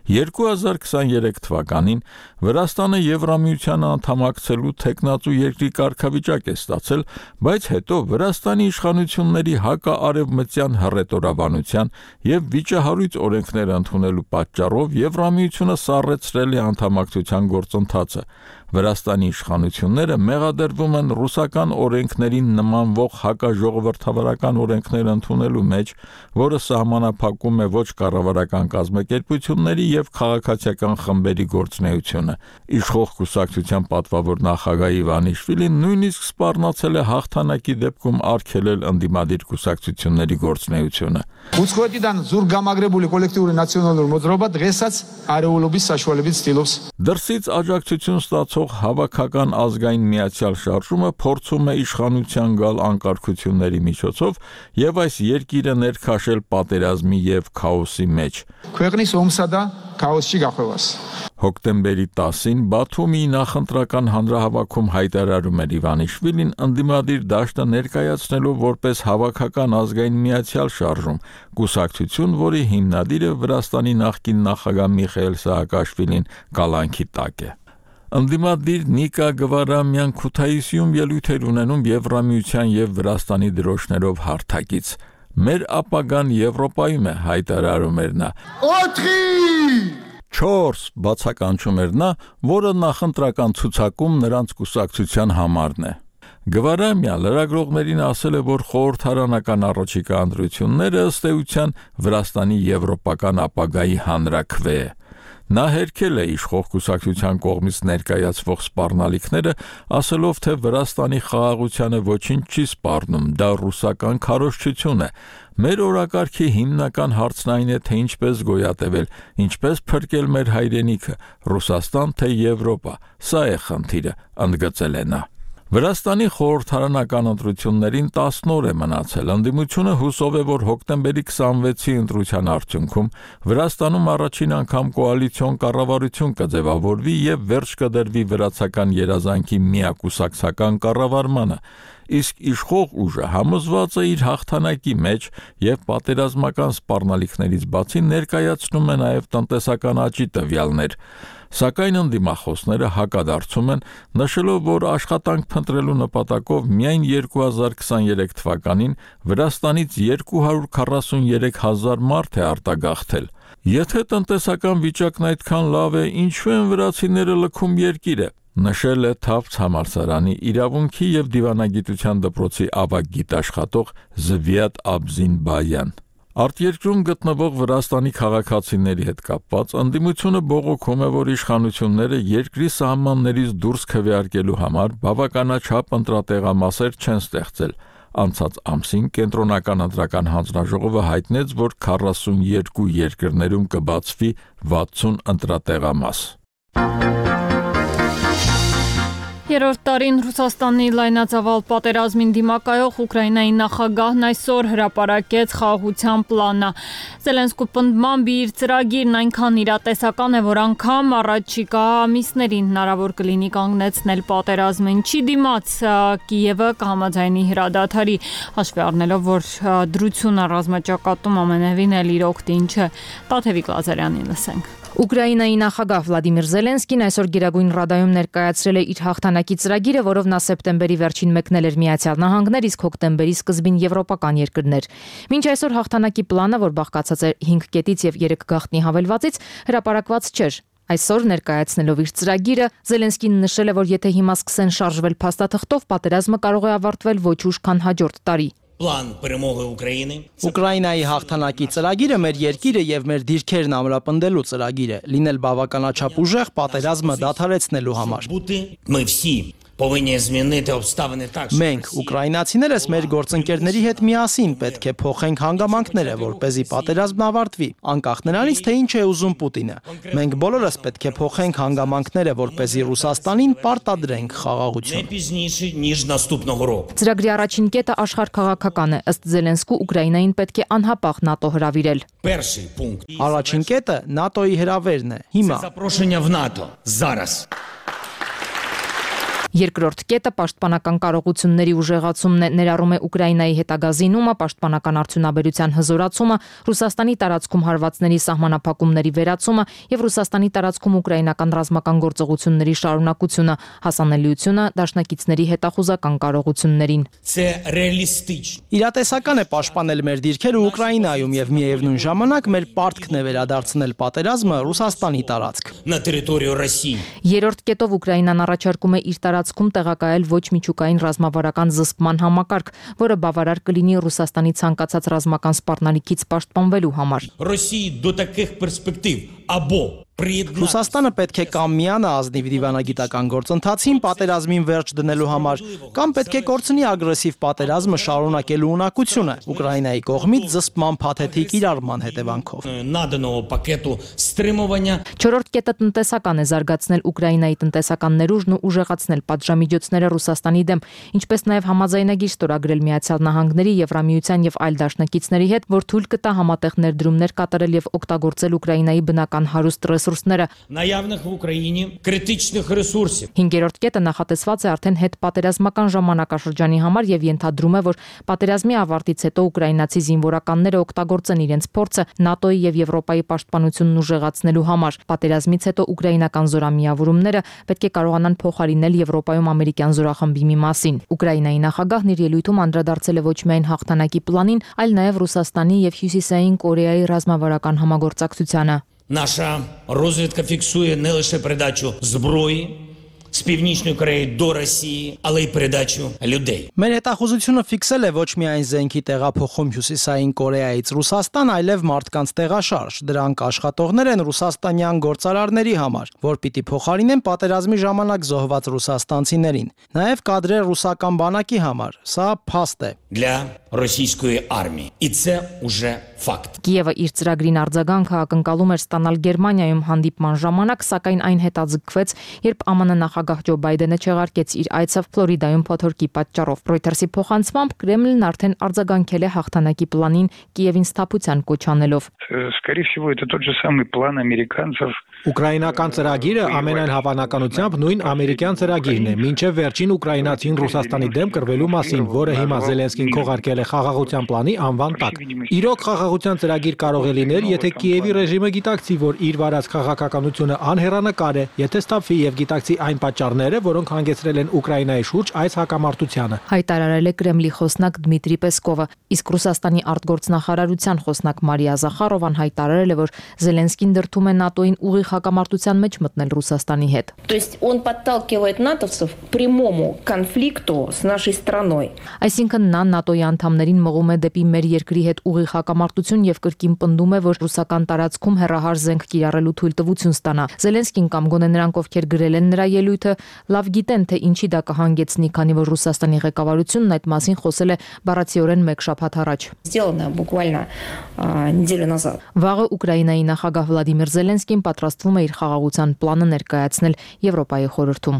երկու հազար քսաներեք թվականին Վրաստանը Եվրամիությանը անդամակցելու թեկնածու երկրի կարգավիճակ է ստացել, բայց հետո Վրաստանի իշխանությունների հակաարևմտյան հռետորաբանության եւ վիճահարույց օրենքներ ընդունելու պատճառով Եվրամիությունը սառեցրել է անդամակցության գործընթացը։ Վրաստանի իշխանությունները մեղադրվում են ռուսական օրենքներին նմանվող հակաժողովրդավարական օրենքներ ընդունելու մեջ, որը սահմանափակում է ոչ կառավարական կազմակերպությունների եւ քաղաքացիական խմբերի գործունեությունը։ Իշխող կուսակցության պատվավոր նախագահ Իվանիշվիլին նույնիսկ սպառնացել է հաղթանակի դեպքում արգելել ընդդիմադիր կուսակցությունների գործունեությունը։ Ուսկոտիդան զուրգամագրებული կոլեկտիվի նացիոնալ մոդրոբա դրեսած արեոլոբի սաշվալեբից ստիլովս։ Դրսից աջակցություն ստացող հավաքական ազգային միացյալ շարժումը փորձում է իշխանության գալ անկարգությունների միջոցով եւ այս երկիրը ներքաշել պատերազմի եւ քաոսի մեջ։ Քվեգնիս օմսադա քաոսի գախովաս։ Հոկտեմբերի տասին Բաթումի նախընտրական հանրահավաքում հայտարարում էր Իվանիշվիլին ընդդիմադիր դաշտը ներկայացնելով որպես հավաքական ազգային միացյալ շարժում, կուսակցություն, որի հիմնադիրը Վրաստանի նախկին նախագահ Միխայել Սահակաշվիլին կալանքի տակ է։ Ընդդիմադիր Նիկա Գվարամյան Քութայիսիում ելույթ էր ունենում Եվրամիության եւ Վրաստանի դրոշներով հարթակից։ Մեր ապագան Եվրոպայում է, հայտարարում էր նա։ Օթրի չորս բացականչում էր նա, որը նախընտրական ցուցակում նրանց կուսակցության համարն է։ Գվարամյա լրագրողներին ասել է, որ խորհրդարանական առաջիկա ընտրությունները ըստ էության Վրաստանի եվրոպական ապագայի հանրաքվե է։ Նա հերքել է իշխող կուսակցության կողմից ներկայացվող սպառնալիքները, ասելով, թե Վրաստանի խաղաղությանը ոչինչ չի սպառնում, դա ռուսական քարոզչություն է։ Մեր օրակարգի հիմնական հարցն այն է, թե ինչպես գոյատևել, ինչպես փրկել մեր հայրենիքը, Ռուսաստան թե Եվրոպա։ Սա է խնդիրը, ընդգծել է նա։ Վրաստանի խորհրդարանական ընտրություններին տասն օր է մնացել։ Ընդդիմությունը հուսով է, որ հոկտեմբերի քսանվեցի ընտրության արդյունքում Վրաստանում առաջին անգամ կոալիցիոն կառավարություն կձևավորվի եւ վերջ կդրվի վրացական երազանքի միակուսակցական կառավարմանը։ Իսկ իշխող ուժը համոզված է իր հաղթանակի մեջ եւ պատերազմական սպառնալիքներից բացի ներկայացնում է նաեւ տնտեսական աճի տվյալներ։ Սակայն ընդդիմախոսները հակադարձում են, նշելով, որ աշխատանք փնտրելու նպատակով միայն երկու հազար քսաներեք թվականին Վրաստանից երկու հարյուր քառասուներեք հազար մարդ է արտագաղթել։ Եթե տնտեսական վիճակն այդքան լավ է, ինչու են վրացիները լքում երկիրը, նշել է Թավց համալսարանի իրավունքի եւ դիվանագիտության դպրոցի ավագ գիտաշխատող Զվիատ Աբզինբայան։ Արտերկրում գտնվող Վրաստանի քաղաքացիների հետ կապված ընդդիմությունը բողոքում է, որ իշխանությունները երկրի սահմաններից դուրս քվեարկելու համար բավականաչափ ընտրատեղամասեր չեն ստեղծել։ Անցած ամսին կենտրոնական ընտրական հանձնաժողովը հայտնեց, որ քառասուներկու երկրներում կբացվի վաթսուն ընտրատեղամաս։ Երրորդ տարին Ռուսաստանի լայնածավալ պատերազմին դիմակայող Ուկրաինայի նախագահն այսօր հրապարակեց խաղաղության պլանը։ Զելենսկու պնդմամբ իր ծրագիրն այնքան իրատեսական է, որ անգամ առաջիկա ամիսներին հնարավոր կլինի կանգնեցնել պատերազմը, ինչի դիմաց Կիևը կհամաձայնի հրադադարի, հաշվի առնելով, որ դրությունը ռազմաճակատում ամենևին էլ իր օգտին չէ։ Տաթևիկ Լազարյանին լսենք։ Ուկրաինայի նախագահ Վլադիմիր Զելենսկին այսօր Գերագույն Ռադայում ներկայացրել է իր հաղթանակի ծրագիրը, որով նա սեպտեմբերի վերջին մեկնել էր Միացյալ Նահանգներ, իսկ հոկտեմբերի սկզբին եվրոպական երկրներ։ Մինչ այսօր հաղթանակի պլանը, որ բաղկացած է հինգ կետից եւ երեք գաղտնի հավելվածից, հրապարակված չէր։ Այսօր ներկայացնելով իր ծրագիրը, Զելենսկին նշել է, որ եթե հիմա սկսեն շարժվել փաստաթղթով, պատերազմը կարող է ավարտվել ոչ ուշ, քան հաջորդ տարի։ Պլան պրեմողը Ուկրաինի Ուկրաինայի հաղթանակի ծրագիրը մեր երկիրը եւ մեր դիրքերն ամրապնդելու ծրագիր է, լինել բավականաչափ ուժեղ պատերազմը դադարեցնելու համար։ Մենք ուկրաինացիներս մեր գործընկերների հետ միասին պետք է փոխենք հանգամանքները, որպեսզի պատերազմն ավարտվի, անկախ նրանից, թե ինչ է ուզում Պուտինը։ Մենք բոլորս պետք է փոխենք հանգամանքները, որպեսզի Ռուսաստանին պարտադրենք խաղաղություն։ Ծրագրի առաջին կետը աշխարհքաղաքական է, ըստ Զելենսկու Ուկրաինային պետք է անհապաղ ՆԱՏՕ հրավիրել։ Առաջին կետը ՆԱՏՕ-ի հրավերն է, հիմա։ Երկրորդ կետը պաշտպանական կարողությունների ուժեղացումն է, ներառում է Ուկրաինայի հետագա զինումը, պաշտպանական արդյունաբերության հզորացումը, Ռուսաստանի տարածքում հարվածների սահմանափակումների վերացումը եւ Ռուսաստանի տարածքում ուկրաինական ռազմական գործողությունների շարունակությունը, հասանելիությունը դաշնակիցների հետախուզական կարողություններին։ Իրատեսական է պաշտպանել մեր դիրքերը Ուկրաինայում եւ միևնույն ժամանակ մեր պարտքն է վերադարձնել պատերազմը Ռուսաստանի տարածք։ Երրորդ կետով Ուկրաինան առաջարկում է իր տարածքում տեղակայել ոչ միջուկային ռազմավարական զսպման համակարգ, որը բավարար կլինի Ռուսաստանի ցանկացած ռազմական սպառնալիքից պաշտպանվելու համար։ Ռուսաստանը պետք է կամ միանա ազնիվ դիվանագիտական գործընթացին պատերազմին վերջ դնելու համար, կամ պետք է կորցնի ագրեսիվ պատերազմը շարունակելու ունակությունը Ուկրաինայի կողմից զսպման փաթեթի կիրառման հետևանքով։ Չորրորդ կետը տնտեսական է, զարգացնել Ուկրաինայի տնտեսական ներուժն ու ուժեղացնել պատժամիջոցները Ռուսաստանի դեմ, ինչպես նաև համաձայնագիր ստորագրել Միացյալ Նահանգների, Եվրամիության եւ այլ դաշնակիցների հետ, որ թույլ կտա համատեղ ներդրումներ կատարել եւ օգտագործել Ուկրաինայի բնական հարուստ ռեսուրսները։ Հինգերորդ կետը նախատեսված է արդեն հետպատերազմական ժամանակաշրջանի համար եւ ենթադրում է, որ պատերազմի ավարտից հետո ուկրաինացի զինվորականները օգտագործեն իրենց փորձը ՆԱՏՕ-ի եւ Եվրոպայի պաշտպանությունն ուժեղացնելու համար։ Պատերազմից հետո ուկրաինական զորամիավորումները պետք է կարողանան փոխարինել Եվրոպայում ամերիկյան զորախմբի մի մասին։ Ուկրաինայի նախագահն իր ելույթում անդրադարձել է ոչ միայն հաղթանակի պլանին, այլ նաեւ Ռուսաստանի եւ Հյուսիսային Կորեայի ռազմավարական համագործակցությանը։ Наша розвідка фіксує не лише передачу зброї, з Північної Кореї до Росії, але й передачу людей. Մեր հետախուզությունը ֆիքսել է ոչ միայն զենքի տեղափոխում Հյուսիսային Կորեայից Ռուսաստան, այլև մարդկանց տեղաշարժ։ Դրանք աշխատողներ են ռուսաստանյան գործարարների համար, որ պիտի փոխարինեն պատերազմի ժամանակ զոհված ռուսաստանցիներին։ Նաև կադրեր ռուսական բանակի համար։ Սա փաստ է։ Для російської армії. І це уже факт. Կիևը իր ծրագրին արձագանքը ակնկալում էր ստանալ Գերմանիայում հանդիպման ժամանակ, սակայն այն հետաձգվեց, երբ ԱՄՆ նախագահ Ջո Բայդենը չեղարկեց իր այցը Ֆլորիդայում փոթորկի պատճառով։ Reuters-ի փոխանցմամբ Կրեմլն արդեն արձագանքել է հաղթանակի պլանին Կիևին սթափության կոչ անելով։ Скорее всего, это тот же самый план американцев. Ուկրաինական ծրագիրը ամենայն հավանականությամբ նույն ամերիկյան ծրագիրն է, մինչև վերջին ուկրաինացին Ռուսաստանի դեմ կռվելու մասին, որը հիմա Զելենսկին քողարկել է խաղաղության պլանի անվան տակ։ Իրոք խաղաղության ծրագիր կարող է լինել, եթե Կիևի ռեժիմը գիտակցի, որ իր վարած քաղաքականությունը անհեռանկար է, եթե ստափվի եւ գիտակցի այն պատճառները, որոնք հանգեցրել են Ուկրաինայի շուրջ այս հակամարտությանը։ Հայտարարել է Կրեմլի խոսնակ Դմիտրի Պեսկովը, իսկ Ռուսաստանի արտգործնախարարության խոսնակ Մարիա Զախարովան հայտարարել է, որ Զելենսկին դրդում է ՆԱՏՕ-ին ուղիղ հակամարտության մեջ մտնել Ռուսաստանի հետ։ То есть он подталкивает натовцев к прямому конфликту с нашей страной. Այսինքն նա ՆԱՏՕ-ի անդամներին մղում է դեպի մեր երկրի հետ ուղիղ հակամարտություն եւ կրկին պնդում է, որ ռուսական տարածքում հեռահար զենք կիրառելու թույլտվություն ստանա։ Զելենսկին կամ գոնե նրանք, ովքեր գրել են նրա ելույթը, լավ գիտեն, թե ինչի դա կհանգեցնի, քանի որ Ռուսաստանի ղեկավարությունն այդ մասին խոսել է բառացիորեն մեկ շաբաթ առաջ։ Сделано буквально неделю назад. Վաղը Ուկրաինայի նախագահ Վլադիմիր Զելենսկին պատրաստվում է իր խաղաղության պլանը ներկայացնել Եվրոպայի խորհրդում։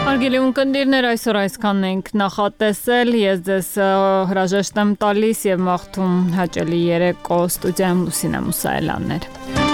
Հարգելի ունկնդիրներ, այսօր այսքանն ենք նախատեսել, ես ձեզ հրաժեշտ եմ տալիս եւ մաղթում հաճելի երեկո, ստուդիայում Լուսինե Մուսայելյանն էր։